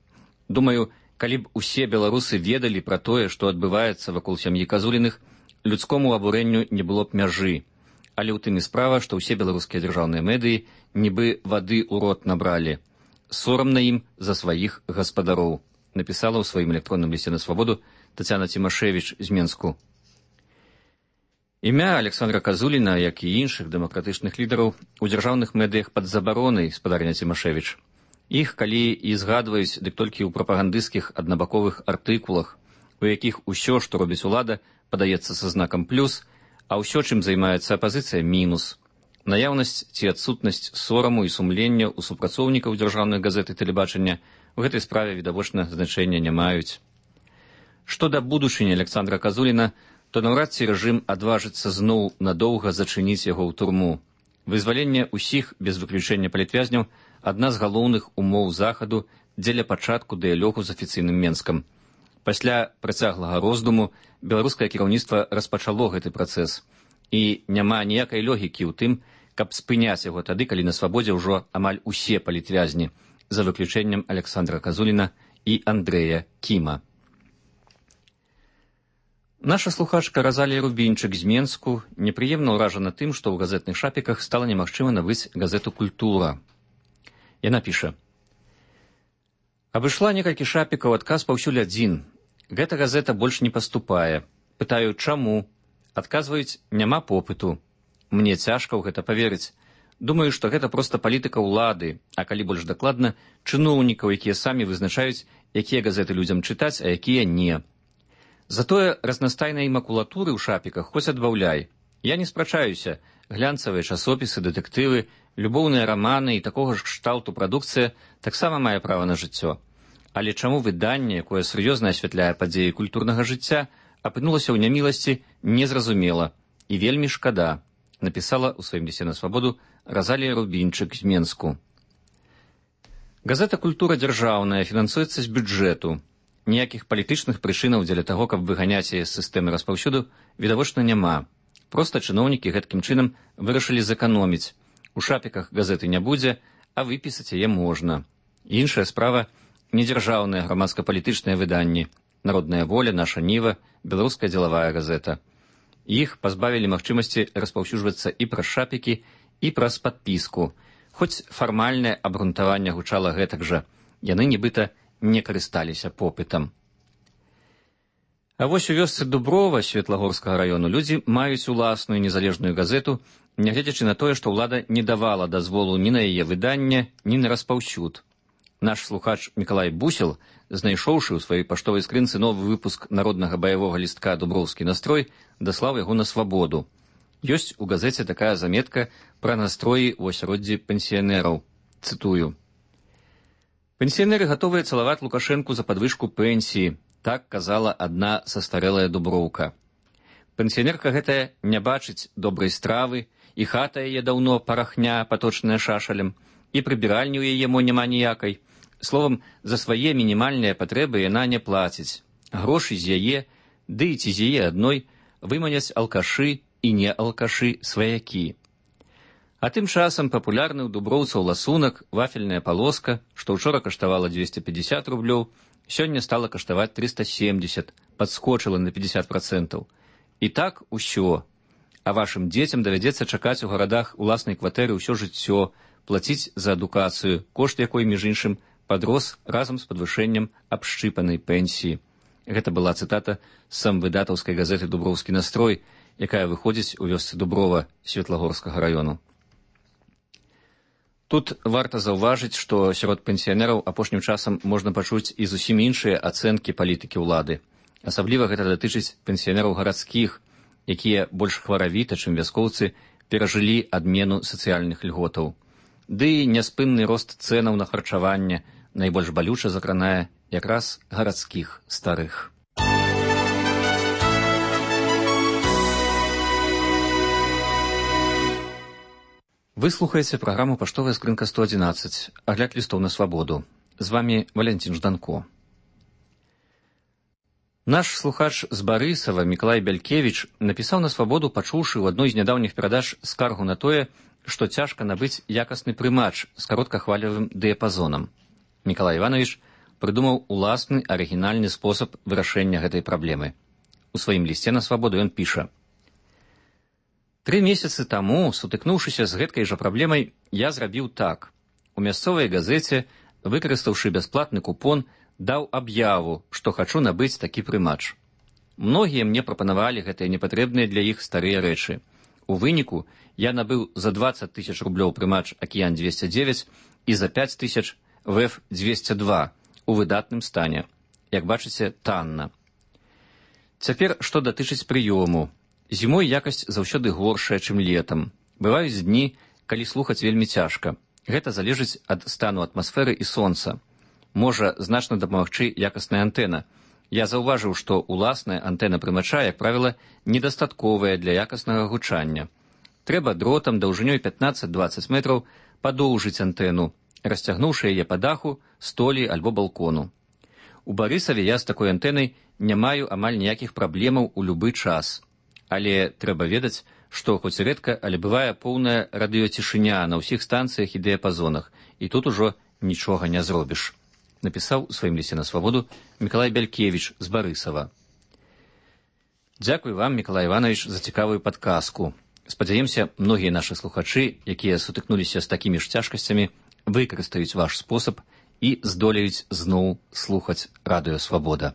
Думаю, калі б усе беларусы ведалі пра тое, што адбываецца вакол сям'і Казуліных, людскому абурэнню не было б мяжы. Але ў тым і справа, што ўсе беларускія дзяржаўныя медыі нібы вады ў рот набралі. Сорамна ім за сваіх гаспадароў, напісала ў сваім электронным лісце на свабоду Тацяна Цімашевіч з Менску. Імя Александра Казуліна, як і іншых дэмакратычных лідараў, у дзяржаўных медыях пад забаронай, спадарня Цімашевіч. Іх, калі і згадваюць, дык толькі ў прапагандысцкіх аднабаковых артыкулах, у якіх усё, што робіць улада, падаецца са знакам плюс, а ўсё, чым займаецца апазіцыя, мінус. Наяўнасць ці адсутнасць сораму і сумлення ў супрацоўнікаў дзяржаўных газет і тэлебачання у гэтай справе відавочна значэння не маюць. Што да будучыні Александра Казуліна, то наўрад ці рэжым адважыцца зноў надоўга зачыніць яго ў турму. Вызваленне ўсіх без выключэння палітвязняў адна з галоўных умоў захаду дзеля пачатку дыялогу з афіцыйным Менскам. Пасля працяглага роздуму беларускае кіраўніцтва распачало гэты працэс, і няма ніякай логікі ў тым, каб спыняць яго тады, калі на свабодзе ўжо амаль усе палітвязні, за выключэннем Александра Казуліна і Андрэя Кіма. Наша слухачка Разалія Рубінчык з Менску непрыемна ўражана тым, што ў газетных шапіках стала немагчыма набыць газету «Культура». Яна піша. Абышла некалькі шапікаў, адказ паўсюль адзін. Гэта газета больш не паступае. Пытаю, чаму? Адказваюць, няма попыту. Мне цяжка ў гэта паверыць. Думаю, што гэта проста палітыка ўлады, а калі больш дакладна, чыноўнікаў, якія самі вызначаюць, якія газеты людзям чытаць, а якія не. Затое разнастайнай макулатуры ў шапіках хоць адбаўляй. Я не спрачаюся. Глянцавыя часопісы, дэтэктывы, любоўныя раманы і такога ж кшталту прадукцыя таксама мае права на жыццё. Але чаму выданне, якое сур'ёзна асвятляе падзеі культурнага жыцця, апынулася ў няміласці, незразумела і вельмі шкада, напісала ў сваім лісце на свабоду Разалія Рубінчык з Менску. Газета «Культура» дзяржаўная, фінансуецца з бюджэту. Ніякіх палітычных прычынаў дзеля таго, каб выганяць яе з сістэмы распаўсюду, відавочна няма. Проста чыноўнікі гэткім чынам вырашылі зэканоміць. У шапіках газеты не будзе, а выпісаць яе можна. Іншая справа – недзяржаўныя грамадска-палітычныя выданні. Народная воля, наша Ніва, беларуская дзелавая газета. Іх пазбавілі магчымасці распаўсюджвацца і праз шапікі, і праз падпіску. Хоць фармальнае абгрунтаванне гучала гэтак жа. Яны нібыта не карысталіся попытам. А вось у вёсцы Дуброва Светлагорскага раёну людзі маюць уласную незалежную газету, нягледзячы на тое, што ўлада не давала дазволу ні на яе выданне, ні на распаўсюд. Наш слухач Мікалай Бусел, знайшоўшы ў сваёй паштовай скрынцы новы выпуск народнага баявога лістка «Дуброўскі настрой», даслаў яго на свабоду. Ёсць у газеце такая заметка пра настроі ў асяроддзі пенсіянераў. Цытую. «Пенсіянеры гатовыя цалаваць Лукашэнку за падвышку пенсіі», так казала адна састарэлая дуброўка. Пенсіянерка гэтая не бачыць добрай стравы, і хата яе даўно парахня, паточная шашалем, і прыбіральні ў яе мо няма ніякай. Словам, за свае мінімальныя патрэбы яна не плаціць. Грошы з яе, ды і ці з яе адной, выманяць алкашы і не алкашы сваякі. А тым часам папулярны ў дуброўцаў ласунак, вафельная палоска, што ўчора каштавала 250 рублёў, сёння стала каштаваць 370, падскочыла на 50%. І так усё. А вашым дзецям давядзецца чакаць у гарадах уласнай кватэры ўсё жыццё, плаціць за адукацыю, кошт якой, між іншым, падрос разам з падвышэннем абшчыпанай пенсіі. Гэта была цытата з самвыдатаўскай газеты «Дуброўскі настрой», якая выходзіць у вёсцы Дуброва Светлагорскага раёну. Тут варта заўважыць, што сярод пенсіянераў апошнім часам можна пачуць і зусім іншыя ацэнкі палітыкі ўлады. Асабліва гэта датычыць пенсіянераў гарадскіх, якія больш хваравіта, чым вяскоўцы, перажылі адмену сацыяльных льготаў. Ды і няспынны рост цэнаў на харчаванне найбольш балюча закранае якраз гарадскіх старых. Вы слухаеце праграму «Паштовая скрынка 111», агляд лістоў на свабоду. З вамі Валянцін Жданко. Наш слухач з Барысава Мікалай Бялькевіч напісаў на свабоду, пачуўшы ў адной з нядаўніх перадач скаргу на тое, што цяжка набыць якасны прымач з кароткахвалевым дыяпазонам. Мікалай Іванович прыдумаў уласны арыгінальны спосаб вырашэння гэтай праблемы. У сваім лісце на свабоду ён піша: 3 месяцы таму, сутыкнуўшыся з гэткай жа праблемай, я зрабіў так. У мясцовай газеце, выкарыстаўшы бясплатны купон, даў аб'яву, што хачу набыць такі прымач. Многія мне прапанавалі гэтыя непатрэбныя для іх старыя рэчы. У выніку я набыў за 20 000 рублёў прымач «Акіян-209» і за 5 000 «ВЭФ-202» у выдатным стане. Як бачыце, танна. Цяпер, што датычыць прыёму. Зімой якасць заўсёды горшая, чым летам. Бываюць дні, калі слухаць вельмі цяжка. Гэта залежыць ад стану атмасферы і сонца. Можа значна дапамагчы якасная антэна. Я заўважыў, што уласная антэна прымача, як правіла, недастатковая для якаснага гучання. Трэба дротам даўжынёй 15-20 метраў падоўжыць антэну, расцягнуўшы яе па даху, столі альбо балкону. У Барысаве я з такой antэнай не маю амаль ніякіх праблемаў у любы час. Але трэба ведаць, што хоць рэдка, але бывае поўная радыёцішыня на ўсіх станцыях і дыяпазонах, і тут ужо нічога не зробіш. Напісаў у сваім лісце на свабоду Мікалай Бялькевіч з Барысава. Дзякуй вам, Мікалай Іванович, за цікавую падказку. Спадзяемся, многія нашы слухачы, якія сутыкнуліся з такімі ж цяжкасцямі, выкарыстаюць ваш спосаб і здолеюць зноў слухаць радыё «Свабода».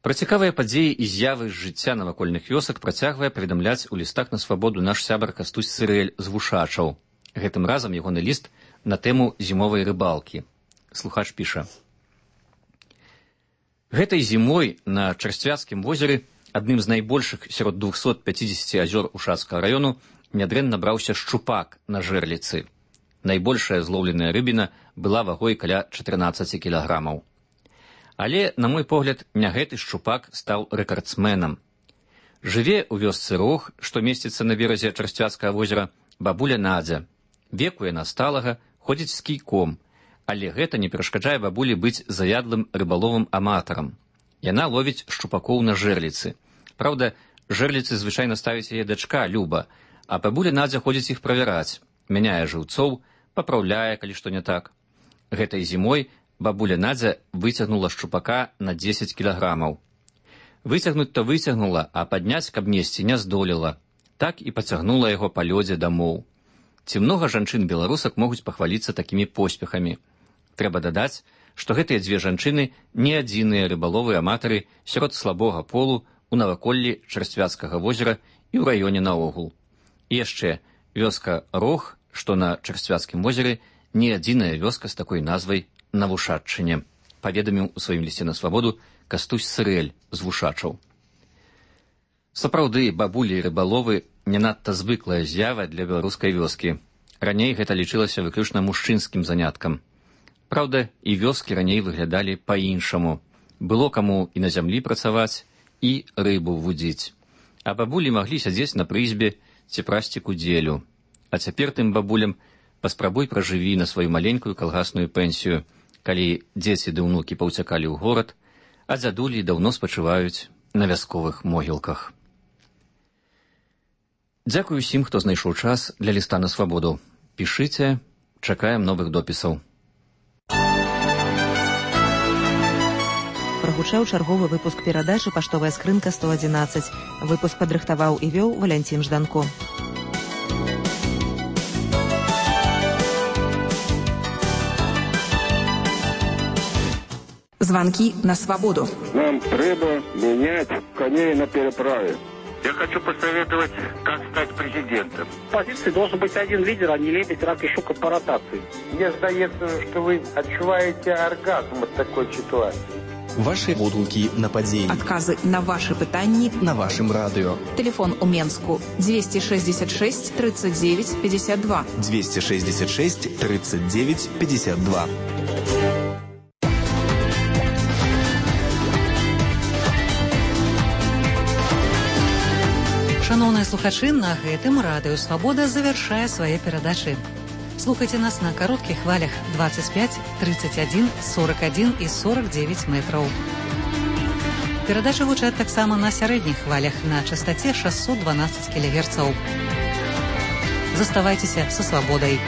Пра цікавыя падзеі і з'явы з жыцця навакольных вёсак працягвае паведамляць у лістах на свабоду наш сябар Кастусь Сырэль з Вушачаў. Гэтым разам ягоны ліст на тэму зімовай рыбалкі. Слухач піша: Гэтай зімой на Чарсцвяцкім возеры, адным з найбольшых сярод 250 азёр Ушацкага раёну, нядрэнна браўся шчупак на жэрліцы. Найбольшая злоўленая рыбіна была вагой каля 14 кілаграмаў. Але, на мой погляд, не гэты шчупак стаў рэкардсменам. Жыве ў вёсцы Рог, што месціцца на беразе Чарсцвяцкага возера, бабуля Надзя. Веку яна сталага, ходзіць з кійком, але гэта не перашкаджае бабулі быць заядлым рыбаловым аматарам. Яна ловіць шчупакоў на жэрліцы. Праўда, жэрліцы звычайна ставіць яе дачка Люба, а бабуля Надзя ходзіць іх правяраць, мяняе жыўцоў, папраўляе, калі што не так. Гэтай зімой бабуля Надзя выцягнула шчупака на 10 кілаграмаў. Выцягнуць-то выцягнула, а падняць, каб несці, не здолела. Так і пацягнула яго па лёдзе дамоў. Ці многа жанчын-беларусак могуць пахваліцца такімі поспехамі. Трэба дадаць, што гэтыя дзве жанчыны не адзіныя рыбаловы-аматары сярод слабога полу у наваколлі Чарсцвяцкага возера і ў раёне наогул. І яшчэ, вёска Рог, што на Чарсцвяцкім возеры, не адзіная вёска з такой назвай на Вушаччыне, паведаміў у сваім лісце на свабоду Кастусь Сырэль з Вушачаў. Сапраўды, бабулі і рыбаловы не надта звыклая з'ява для беларускай вёскі. Раней гэта лічылася выключна мужчынскім заняткам. Праўда, і вёскі раней выглядалі па-іншаму. Было каму і на зямлі працаваць, і рыбу вудзіць. А бабулі маглі сядзець на прызбе ці прасці кудзелю. А цяпер тым бабулям паспрабуй пражыві на сваю маленькую калгасную пенсію, калі дзеці ды ўнукі паўцякалі ў горад, а дзядулі даўно спачываюць на вясковых могілках. Дзякуй усім, хто знайшоў час для ліста на свабоду. Пішыце, чакаем новых допісаў. прагучаў чарговы выпуск перадачы «Паштовая скрынка 111». Выпуск падрыхтаваў і вёў Валянцін Жданко. Звонки на свободу. Нам треба менять коней на переправе. Я хочу посоветовать, как стать президентом. В позиции должен быть один лидер, а не лебедь, рак и щука по ротации. Мне здається, что вы отчуваете оргазм от такой ситуации. Ваши водгуки на подзей. Отказы на ваши пытанни на вашем радио. Телефон у Менску 266 39 52. 266 39 52. Шановныя слухачы, на гэтым радыё «Свабода» завяршае свае перадачы. Слухайце нас на кароткіх хвалях 25, 31, 41 і 49 метраў. Перадачы гучаць таксама на сярэдніх хвалях на частаце 612 кГц. Заставайцеся са свабодай.